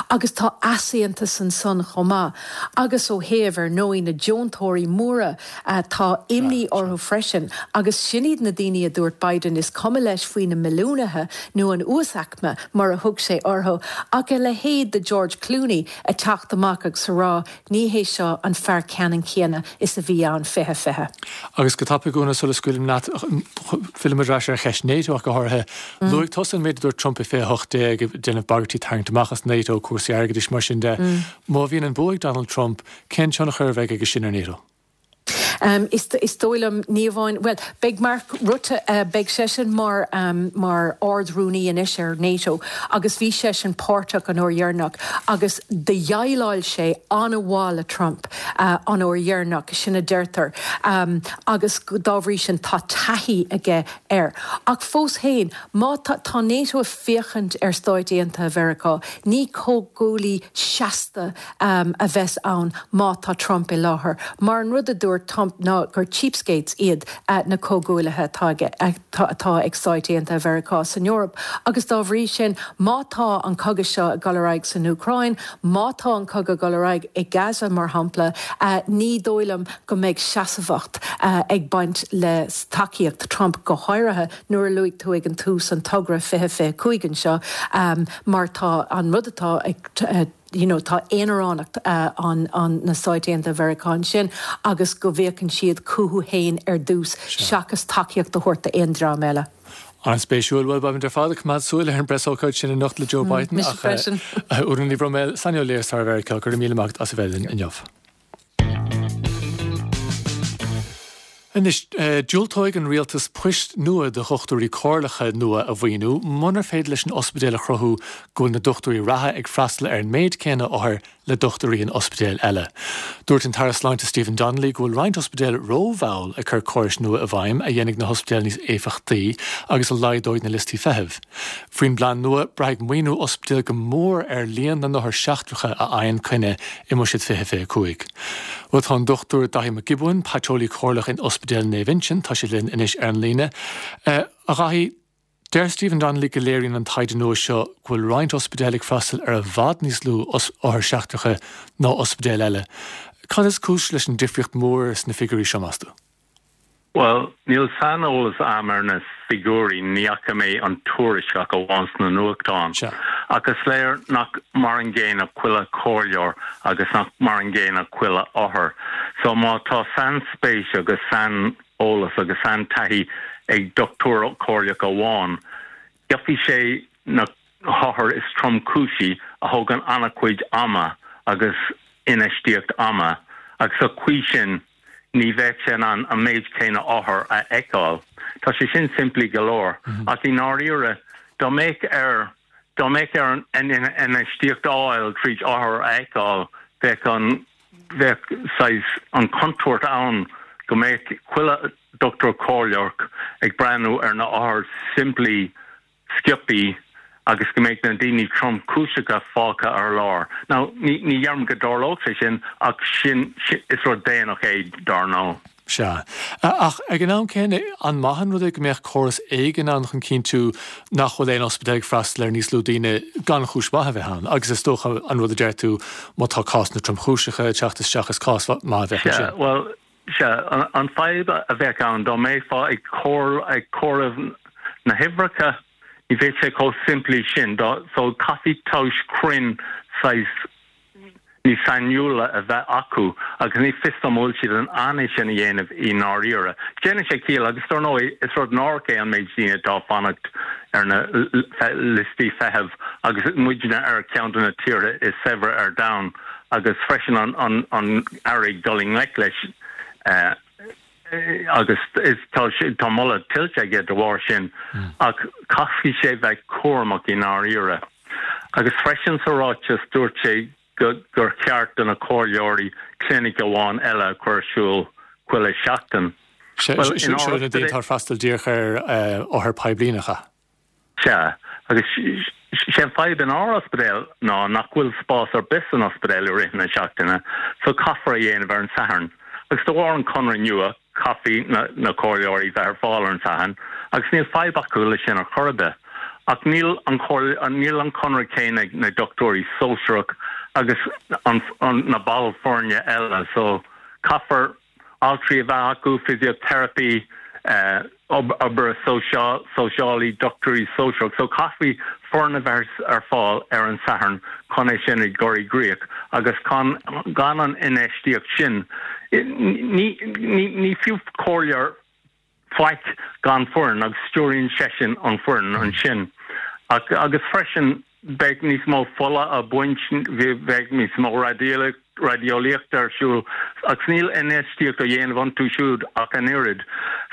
Speaker 4: Agus tá easaontas ansan chomh maith. Agus ó thaobh, ar ndóigh, na deontóirí móra, tá imní orthu freisin. Agus sin iad na daoine a dúirt Biden, is cuma leis faoi na milliúnaithe nó an uasaicme, mar a thug sé orthu. Ach a leithéid de George Clooney ag teacht amach agus a rá, Ní hé seo an fear ceannann céanna is a bhí ann 2020.
Speaker 1: Agus go tapaidh, Úna, sula scaoilim leat, fillim ar ais ar cheist NATO ach go háirithe. Luaigh tusa an méid a dúirt Trump i 2018, ag déanamh bagairtí tarraingt amach as NATO, cúrsaí airgeadais, mar sin de. Má bhíonn an bua ag Donald Trump, cén tionchar a bheidh aige sin ar NATO?
Speaker 4: Is dóigh liom, ní amháin, bhuel, beidh Mark Rutte, beidh seisean mar, mar Ard-Rúnaí anois ar NATO agus bhí seisean páirteach an uair dheireanach agus do dhéileáil sé an-mhaith le Trump an uair dheireanach, sin a deirtear, agus dá bhrí sin tá taithí aige air. Ach fós féin, má tá, tá NATO ag féachaint ar Stáit Aontaithe Mheiriceá, ní comhghuaillí seasta a bheas ann má tá Trump i láthair, mar an rud a dúirt Trump ná gur cheapskates iad na comhghuaillithe atá aige, atá ag Stáit Aontaithe Mheiriceá san Eoraip agus dá bhrí sin má tá an cogadh seo ag dul ar aghaidh san Úcráin, má tá an cogadh ag dul ar aghaidh i Gaza mar shampla, ní dóigh liom go mbeidh seasmhacht ag baint le tacaíocht Trump go háirithe nuair a luaigh tú ag an tús an togra 2025 anseo mar tá an rud atá ag you know tá aonaránacht an an na Stáit Aontaithe Mheiriceá ansin agus go bhféachann siad chucu féin ar dtús seachas tacaíocht a thabhairt d'aon dream eile.
Speaker 1: An-spéisiúil. Bhuel, beimid ar fad ag coimeád súil ar an bpreasócáid sin anocht le Joe Biden
Speaker 4: Mise freisin.
Speaker 1: Úna Ní Bhroiméil, saineolaí ar stair Mheiriceá, go raibh míle maith agat as a bheith linn inniu. Anois, diúltóidh an rialtas poist nua do dhochtúirí comhairleacha nua a mhaoiniú munar féidir leis an ospidéal a chruthú go bhfuil na dochtúirí reatha ag freastal ar an méid céanna othar le dochtúirí in ospidéil eile. Dúirt an tAire Sláinte Stephen Donnelly go bhfuil roinnt ospidéal rómhall ag cur córais nua i bhfeidhm a dhéanfaidh na hospidéil níos éifeachtaí agus a laghdóidh na liostaí feithimh. Faoin bplean nua, braithfidh maoiniú ospidéal go mór ar líon na n-othar seachtracha a fhaigheann coinne i mBuiséad 2025. Bhuel, tá an Dr Daithí Mac Giobúin, Paiteolaí Comhairleach in Ospidéal Naomh Uinseann, tá sé linn anois ar an líne. A Dhaithí, Deir Stephen Donnelly go léiríonn an taighde nua seo go bhfuil roinnt ospidéal ag freastal ar i bhfad níos lú othair seachtracha ná ospidéil eile. Cad is cúis leis an difríocht mhór sna figiúirí seo, meas tú?
Speaker 5: Bhuel, níl saineolas a'm ar na figiúirí, ní fhaca mé an tuairisc ach amháin sna nuachtáin. Ach is léir nach mar an gcéanna chuile chomhairleoir agus nach mar an gcéanna chuile othar. So má tá sainspéis agus sain. eolas agus saintaithí ag dochtúir comhairleach amháin, gheobhaidh sé na hothair is tromchúisí a thógann an-chuid ama agus infheistíocht ama agus sa chaoi sin ní bheadh sé in ann an méid céanna othar a fheiceáil. Tá sé sin simplí go leor ach i ndáiríre dá mbeadh air dá mbeadh air an infheistíocht a fháil tríd othar a fheiceáil bheadh an bheadh saghas an chontúirt ann go mbeadh chuile dochtúir comhairleach ag breathnú ar na hothair simplí sciobthaí agus go mbeadh na daoine tromchúiseacha fágtha ar lár. Now, ní ní dheirim go dtarlódh sé sin ach sin is rud déanach é dar ndóigh.
Speaker 1: Sea. Ach ag an am céanna, an maith an rud é go mbeadh córas éigin ann chun cinntiú nach bhfuil aon ospidéal ag freastal ar níos lú daoine gan chúis mhaith a bheith ann? Agus is dócha an rud a deir tú, má tá cásanna tromchúiseacha ag teacht isteach, is cás maith a bheadh
Speaker 5: ansin. Sea, bhuel, sea. An fadhb a bheadh ann, dá mbeifeá ag comhaireamh na huimhreacha, ní bheadh sé chomh simplí sin. So caithfidh tomhas cruinn saghas níos sainiúla a bheith acu agus ní fios dom an bhfuil siad in ann é sin a dhéanamh i ndáiríre. Déanann sé ciall agus dar ndóigh is rud náireach é an méid daoine atá ag fanacht ar na liostaí feithimh agus muidne ar cheann de na tíortha is saibhre ar domhan agus freisin an an Aire ag dul i ngleic leis agus tá tá moladh tuillte aige de bharr sin ach caithfidh sé bheith cúramach i ndáiríre. Agus freisin sa ráiteas dúirt sé go gur cheart do na comhairleoirí clinic amháin eile a chur ar siúl chuile sheachtain.
Speaker 1: Bhuel, in ár. Seo na daoine atá ag freastal díreach ar othair poiblí, nach ea?
Speaker 5: Sea, agus sé an fadhb in ár ospidéal ná nach bhfuil spás ar bith san ospidéal i rith na seachtaine so caithfear a dhéanamh ar an Satharn. Agus de bharr an conradh nua caithfidh na comhairleoirí bheith ar fáil ar an Satharn agus níl fadhb acu leis sin ar chor ar bith. Ach níl an níl an conradh céanna ag na dochtúirí sóisearach agus an na baill foirne eile so caithfear altraí a bheith acu, physiotherapy, oibrithe sóisialaí, dochtúirí sóisearach. So caithfidh foireann a bheith ar fáil ar an Satharn chun é sin a chur i gcrích agus gan gan an infheistíocht sin ní ní fiú comhairleoir faic gan foireann agus stiúraíonn seisean an foireann ansin. Ach agus freisin beidh níos mó fola á baint, bheadh níos mó raideolaíochta ar siúl agus níl infheistíocht á dhéanamh iontu siúd ach an oiread.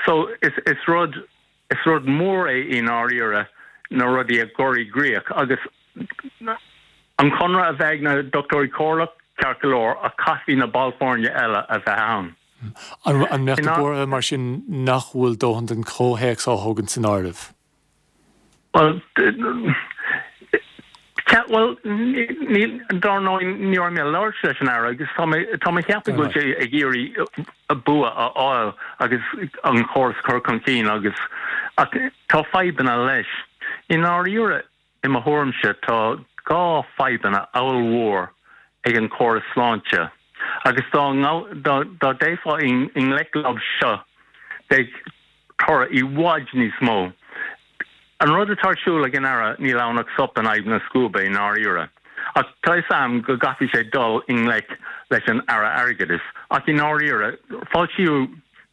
Speaker 5: So is is rud is rud mór é i ndáiríre na rudaí a chur i gcrích agus an conradh a bheith ag na dochtúirí comhairleach, ceart go leor, ach caithfidh na baill foirne eile a bheith ann.
Speaker 1: An mbeadh tú buartha mar sin nach bhfuil dóthain den chomhthéacs á thógaint san áireamh?
Speaker 5: Bhuel, bhuel, níl, dar ndóigh, ní raibh mé ag labhairt leis an Aire agus tá mé, tá mé ag ceapadh go bhfuil sé ag iarraidh bua a fháil agus an córas a chur chun cinn agus, ach tá fadhbanna leis. I ndáiríre, I mo thuairimse, tá 2 fadhbanna ollmhór ag an córas sláinte agus dá dá dtéifeá i ngleic leo seo beidh toradh i bhfad níos mó. An rud atá ar siúl ag an Aire níl ann ach sop in aghaidh na scuaibe i ndáiríre. Ach tá fhios a'm go gcaithfidh sé dul i ngleic leis an Aire Airgeadais ach i ndáiríre foilsíodh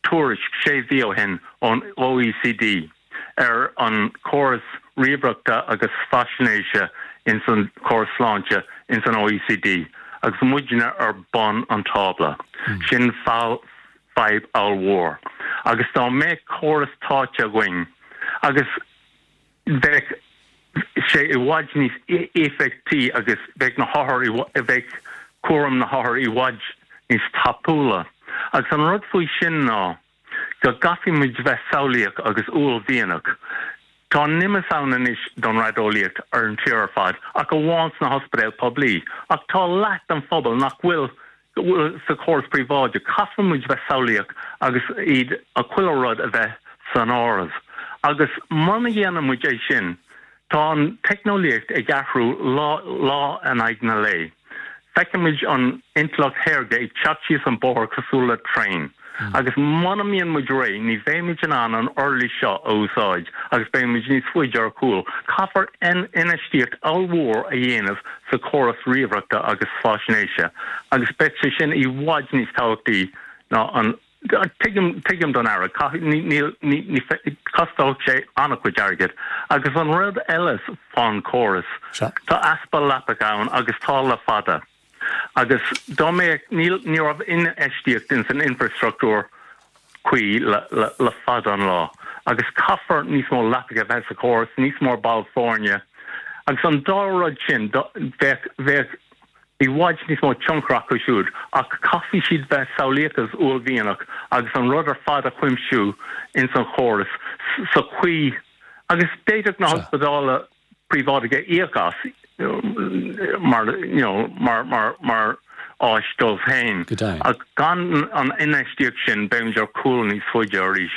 Speaker 5: tuairisc sé mhí ó shin ón OECD. ar an chóras ríomhaireachta agus faisnéise ins an chóras sláinte ins an OECD agus muidne ar bun an tábla. Sin fadhb ollmhór. Agus dá mbeadh córas táite againn agus bheadh sé i bhfad níos éifeachtaí agus bheadh na hothair, bheadh cúram na hothar i bhfad níos tapúla. Agus an rud faoi sin ná go gcaithfidh muid bheith samhlaíoch agus uaillmhianach. Tá an immeas ann anois don raideolaíocht ar an tír ar fad, ach amháin sna hospidéil poiblí. Ach tá leath den phobal nach bhfuil sa chóras príobháideach. Caithfidh muid bheith samhlaíoch agus iad, chuile rud a bheith san áireamh. Agus muna dhéanann muid é sin, Tá an teicneolaíocht ag athrú lá lá in aghaidh na lae. Feicimid an intleacht shaorga ag teacht síos an bóthar cosúil le traein. Agus muna mbíonn muid réidh, ní bheimid in ann an uirlis seo a úsáid agus beimid níos faide ar chúl. Caithfear infheistíocht ollmhór a dhéanamh sa chóras ríomhaireachta agus faisnéise agus beidh sé sin i bhfad níos tábhachtaí ná an Tuigim, tuigim don Aire, caithfidh, ní, níl, ní, ní, costóidh sé an-chuid airgid. Agus an rud eile fán chóras, tá easpa leapacha ann agus tá le fada. Agus dá mbeadh, níl, ní raibh infheistíocht ins an infreastruchtúr cuí le, le, le fada an lá. Agus caithfear níos mó leapacha a bheith sa chóras, níos mó ball foirne. Agus an dá rud sin, bheadh, bheadh, i bhfad níos mó tionchar acu siúd, ach caithfidh siad bheith samhlaíoch agus uaillmhianach agus an rud ar fad a chuimsiú ins an chóras sa chaoi agus d'fhéadfadh na hospidéil príobháideacha íoc as mar you know mar mar mar áis dóibh féin. Ach gan an infheistíocht sin beimid ar chúl níos faide arís.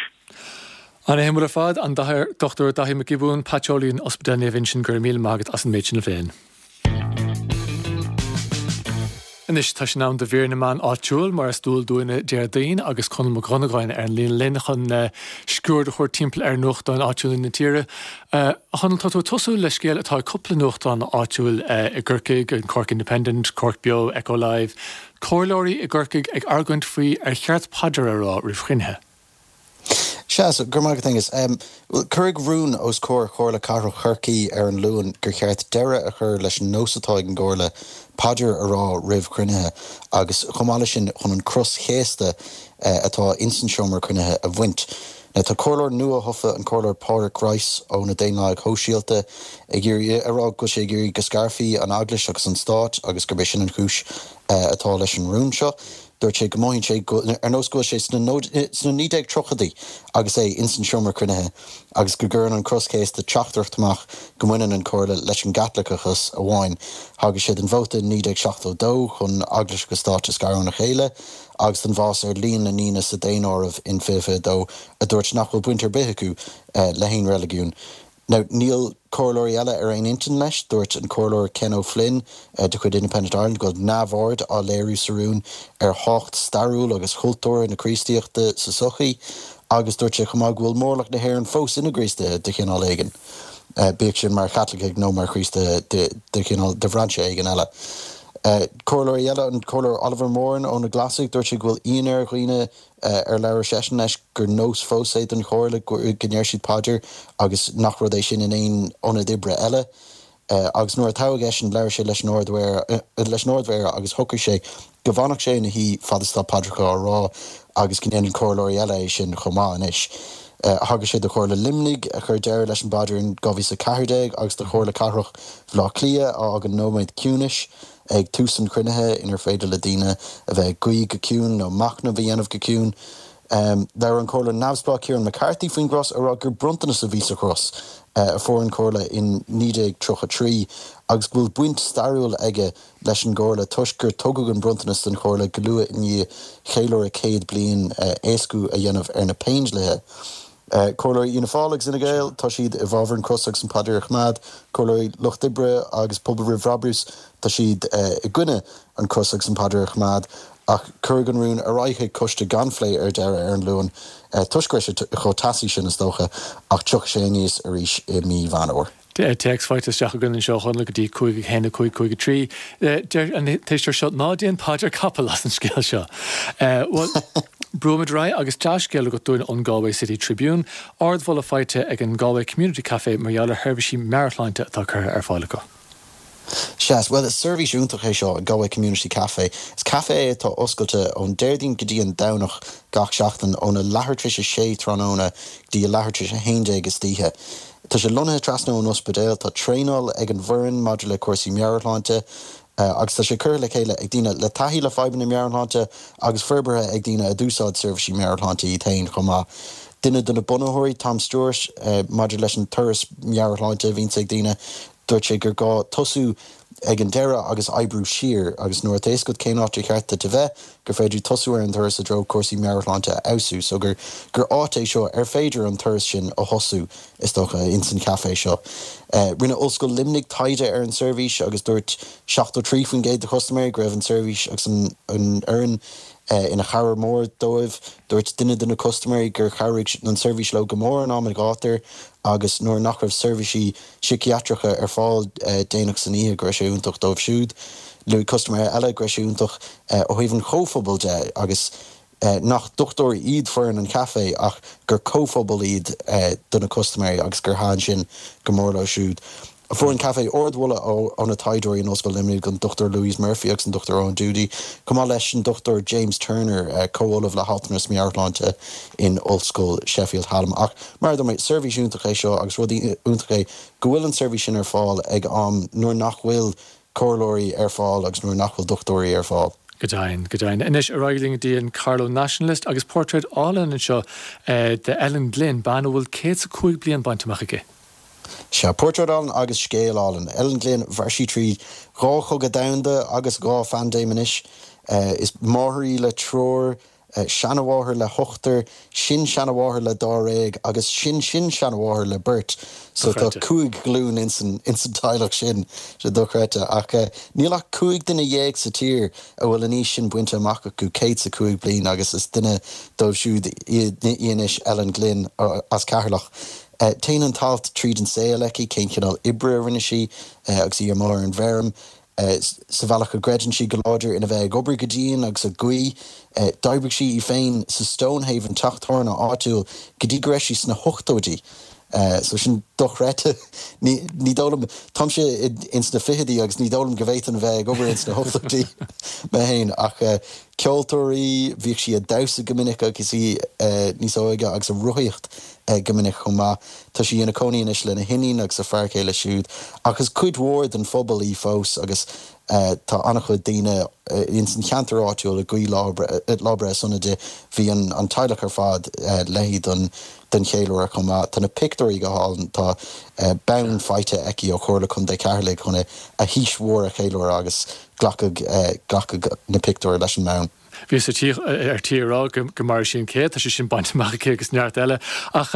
Speaker 1: Ana-shuimiúil ar fad, an Dr Daithí Mac Giobúin, paiteolaí in Ospidéal Naomh Uinseann, go raibh míle maith agat as an méid sin a phlé. Anois tá sé in am do mhír na meán áitiúil, mar is dual dúinn Déardaoin, agus Conall Mac Dhonnagáin ar an líne linn chun sciuird a thabhairt timpeall ar nuachtáin áitiúla na tíre. A Chonaill, tá tú ag tosú le scéal atá ag cúpla nuachtán áitiúil i gCorcaigh, an Cork Independent, Cork Beo, Echo Live. Comhairleoirí i gCorcaigh ag argóint faoi ar cheart paidir a rá roimh chruinnithe.
Speaker 6: Sea, so, go raibh maith agat, Aengus. Bhuel, cuireadh rún os comhair Chomhairle Cathrach Chorcaí ar an Luan gur cheart deireadh a chur leis an nós atá ag an gComhairle paidir a rá roimh chruinnithe agus chomh maith leis sin chun an cros chéasta atá ins an seomra cruinnithe a bhaint. Now tá comhairleoir nua-thofa, an Comhairleoir Pádraic Rice ó na Daonlathaigh Shóisialta, ag iarraidh, a rá go bhfuil sé ag iarraidh go scarfaí an Eaglais agus an Stát agus gurb é sin an chúis atá leis an rún seo. Dúirt sé go mothaíonn sé ar nós go bhfuil sé sna 1930idí agus é ins an seomra cruinnithe agus go gcuireann an cros chéasta teachtaireacht amach go mbaineann an Chomhairle leis an gCaitliceachas amháin. Thagair sé don vóta in 1972 chun Eaglais agus Stát a scaradh óna chéile agus don bhfás ar líon na ndaoine sa daonáireamh in 2022 a dúirt nach bhfuil baint ar bith acu le haon reiligiún. Now, níl comhairleoirí eile ar aon intinn leis. Dúirt an Comhairleoir Ken O'Flynn de chuid Independent Ireland go bhfuil neamhaird á léiriú sa rún ar thábhacht stairiúil agus chultúrtha na Críostaíochta sa tsochaí agus dúirt sé chomh maith go bhfuil mórlach na hÉireann fós ina gCríostaithe de chineál éigin, bíodh sin mar Chaitlicigh nó mar Chríostaithe de chineál, de bhrainse éigin eile. Comhairleoirí eile, an Comhairleoir Oliver Moran ó na Glasaigh, dúirt sé go bhfuil ionadh ar dhaoine ar labhair seisean leis gur nós fós é don Chomhairle go ndeir siad paidir agus nach rud é sin in aon ionad oibre eile. Agus nuair a toghadh eisean labhair sé leis an leis an Ard-Mhéara agus shocraigh sé go bhfanfadh sé ina shuí fad is atá paidreacha á rá agus go ndéanann comhairleoirí eile é sin chomh maith anois. Thagair sé do Chomhairle Luimnigh a chuir deireadh leis an bpaidir in 2014 agus do Chomhairle Cathrach Bhaile Átha Cliath a fhágann nóiméad ciúnais ag tús an chruinnithe inar féidir le daoine a bheith ag guí go ciúin nó machnamh a dhéanamh go ciúin. Labhair an Comhairleoir Neamhspleách Kieran McCarthy faoin gcros, ag rá gur bronntanas a bhí sa chros a fuair an Chomhairle in 1933 agus go bhfuil baint stairiúil aige leis an gComhairle toisc gur tugadh an bronntanas don Chomhairle go luath i ndiaidh cheiliúradh 100 bliain éascú a dhéanamh ar na Péindlíthe. Comhairleoirí Fhianna Fáil agus Fhine Gael, tá siad i bhfabhar an cros agus an paidir a choimeád. Comhairleoirí Lucht Oibre agus Pobal Roimh Bhrabús, tá siad i gcoinne an cros agus an paidir a choimeád. Ach cuireadh an rún ar aghaidh chuig coiste gan phlé ar deireadh ar an Luan, toisc go raibh sé chomh teasaí sin is dócha, ach tiocfaidh sé aníos arís i mí Mheán Fhómhair.
Speaker 1: Téacs faighte isteach againn anseo a Chonaill go dtí 5 1 5 5 3. Deir an t-éisteoir seo, ná déan paidir capaill as an scéal seo. Bhuel, Brúimid ar aghaidh agus dea-scéal agat dúinn ón Galway City Tribune, ardmholadh faighte ag an Galway Community Café mar gheall ar sheirbhísí meabhairshláinte atá curtha ar fáil acu.
Speaker 6: Sea, bhuel is seirbhís iontach é seo, an Galway Community Café. Is caife é atá oscailte ón Déardaoin go dtí an Domhnach gach seachtain óna leathuair tar éis a sé tráthnóna go dtí a leathuair tar éis a haon déag istoíche. Tá sé lonnaithe trasna ón ospidéal, tá traenáil ag an bhfoireann maidir le cúrsaí meabhairshláinte, agus tá sé curtha le chéile ag daoine le taithí le fadhbanna meabhairshláinte agus forbartha ag daoine a d'úsáid seirbhísí meabhairshláinte iad féin chomh maith. Duine de na bunaitheoirí, Tom Stewart, maidir leis an turas meabhairshláinte a bhíonns ag daoine, dúirt sé gur gá tosú ag an deireadh agus oibriú siar agus nuair atá a fhios agat cén áit ar cheart duit a bheith, gur féidir tosú ar an turas i dtreo cúrsaí meabhairshláinte a fheabhsú. So gur gur áit é seo ar féidir an turas sin a thosú, is dócha, ins an chaifé seo. Rinne Ollscoil Luimnigh taighde ar an seirbhís agus dúirt 73% de chustaiméirí go raibh an tseirbhís agus an fhoireann ina chabhair mhór dóibh. Dúirt duine de na custaiméirí gur chabhraigh an tseirbhís leo go mór in am an ghátair agus nuair nach raibh seirbhísí síciatracha ar fáil déanach san oíche go raibh sé iontach dóibh siúd. Luaigh custaiméir eile go raibh sé iontach ó thaobh an chomhphobail de agus nach dochtúirí iad foireann an chaifé ach gur comhphobal iad do na custaiméirí agus gur thaitin sin go mór leo siúd. Fuair an caifé ardmholadh ó na taighdeoirí in Ollscoil Luimnigh, an Dr Louise Murphy agus an Dr Eoin Doody, chomh maith leis an Dr James Turner, comh-ollamh le haltranas meabhairshláinte in Ollscoil Sheffield Hallam. Ach mar a dúirt mé, seirbhís iontach é seo agus rud iontach é go bhfuil an tseirbhís sin ar fáil ag am nuair nach bhfuil comhairleoirí ar fáil agus nuair nach bhfuil dochtúirí ar fáil.
Speaker 1: Go deimhin, go deimhin. Anois ar aghaidh linn go dtí an Carlow Nationalist agus portréid álainn anseo de Ellen Glynn, bean a bhfuil 105 bliain bainte amach aici.
Speaker 6: Sea, portráid álainn agus scéal álainn. Ellen Glynn, mhair sí tríd dhá chogadh domhanda agus dhá phaindéim anois. Is máthair í le triúr, seanamháthair le hochtar, sin-seanamháthair le dáréag agus sin-sin-seanamháthair le beirt. So tá cúig ghlúin ins an teaghlach sin. Sé dochreidte. Ach níl ach 15 duine sa tír a bhfuil an aois sin bainte amach acu, 105 bliain, agus is duine dóibh siúd í anois, Ellen Glynn as Ceatharlach. Téann an t-alt tríd an saol aici, cén cineál oibre a rinne sí agus í amuigh ar an bhfeirm, sa bhealach go gcreideann sí go láidir ina bheith ag obair go dian agus ag guí. D'oibrigh sí í féin sa Stonehaven, teach tábhairne áitiúil, go dtí go raibh sí sna hochtóidí. So sin dochreidte. Ní ní dóigh liom, táimse ins na fichidí agus ní dóigh liom go bhféadfainn a bheith ag obair ins na hochtóidí mé féin. Ach ceoltóir í, bhíodh sí ag damhsa go minic agus í níos óige agus ag rothaíocht go minic chomh maith. Tá sí ina cónaí anois lena hiníon agus a fear céile siúd, ach is cuid mhór den phobal í fós agus tá an-chuid daoine ins an cheantar áitiúil ag guí lá breithe sona di. Bhí an teaghlach ar fad léi don don cheiliúradh chomh maith. Tá na pictiúirí go hálainn. Tá bonn faighte aici ó Chomhairle Contae Cheatharlaigh chun a haois mhór a cheiliúradh agus glacadh glacadh na pictiúir leis an mbonn.
Speaker 1: Bhíos ar tí ar tí a rá go mairfidh sí an céad, tá sé sin bainte amach aici agus neart eile. Ach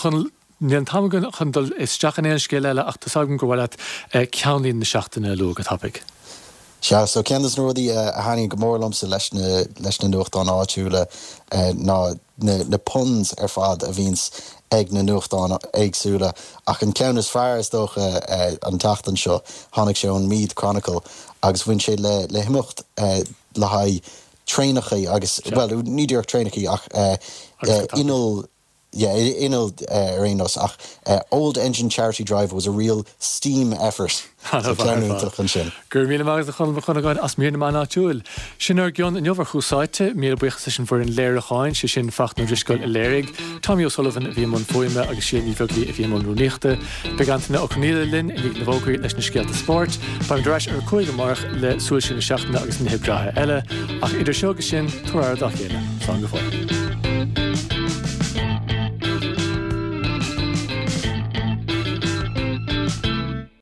Speaker 1: chun, níl an t-am againn chun dul isteach in aon scéal eile ach tá's agam gur mhaith leat ceannlíne na seachtaine a lua go tapaidh.
Speaker 6: Sea, so ceann des na rudaí a thaitníonn go mór liomsa leis na leis na nuachtáin áitiúla ná na na puns ar fad a bhíonns ag na nuachtáin éagsúla. Ach an ceann is fearr is dócha an tseachtain seo, tháinig sé ón Meath Chronicle agus bhain sé le le himeacht le haghaidh traenacha agus, bhuel, ní díreach traenacha ach innill, yeah, innill ar aon nós, ach Old Engine Charity Drive was a real steam effort. So ceann iontach ansin.
Speaker 1: Go raibh míle maith agat a Chonall Mac Dhonnagáin as mír na meán áitiúil. Sin ár gcion inniu ar Thús Áite. Míle buíochas leis an bhfoireann léiriúcháin, sé sin Fachtna Ó Drisceoil a léirigh, Tommy O'Sullivan a bhí i mbun fuaime agus Síle Ní Bheaglaoí a bhí i mbun rúnaíochta. Beidh Antaine Ó Conghaile linn i ndiaidh na bhfógraí leis na scéalta spóirt. Beimid ar ais ar a 5 amárach le Súil Siar na Seachtaine agus nithe breátha eile. Ach idir seo agus sin, tabhair aire dá chéile. Slán go fóill.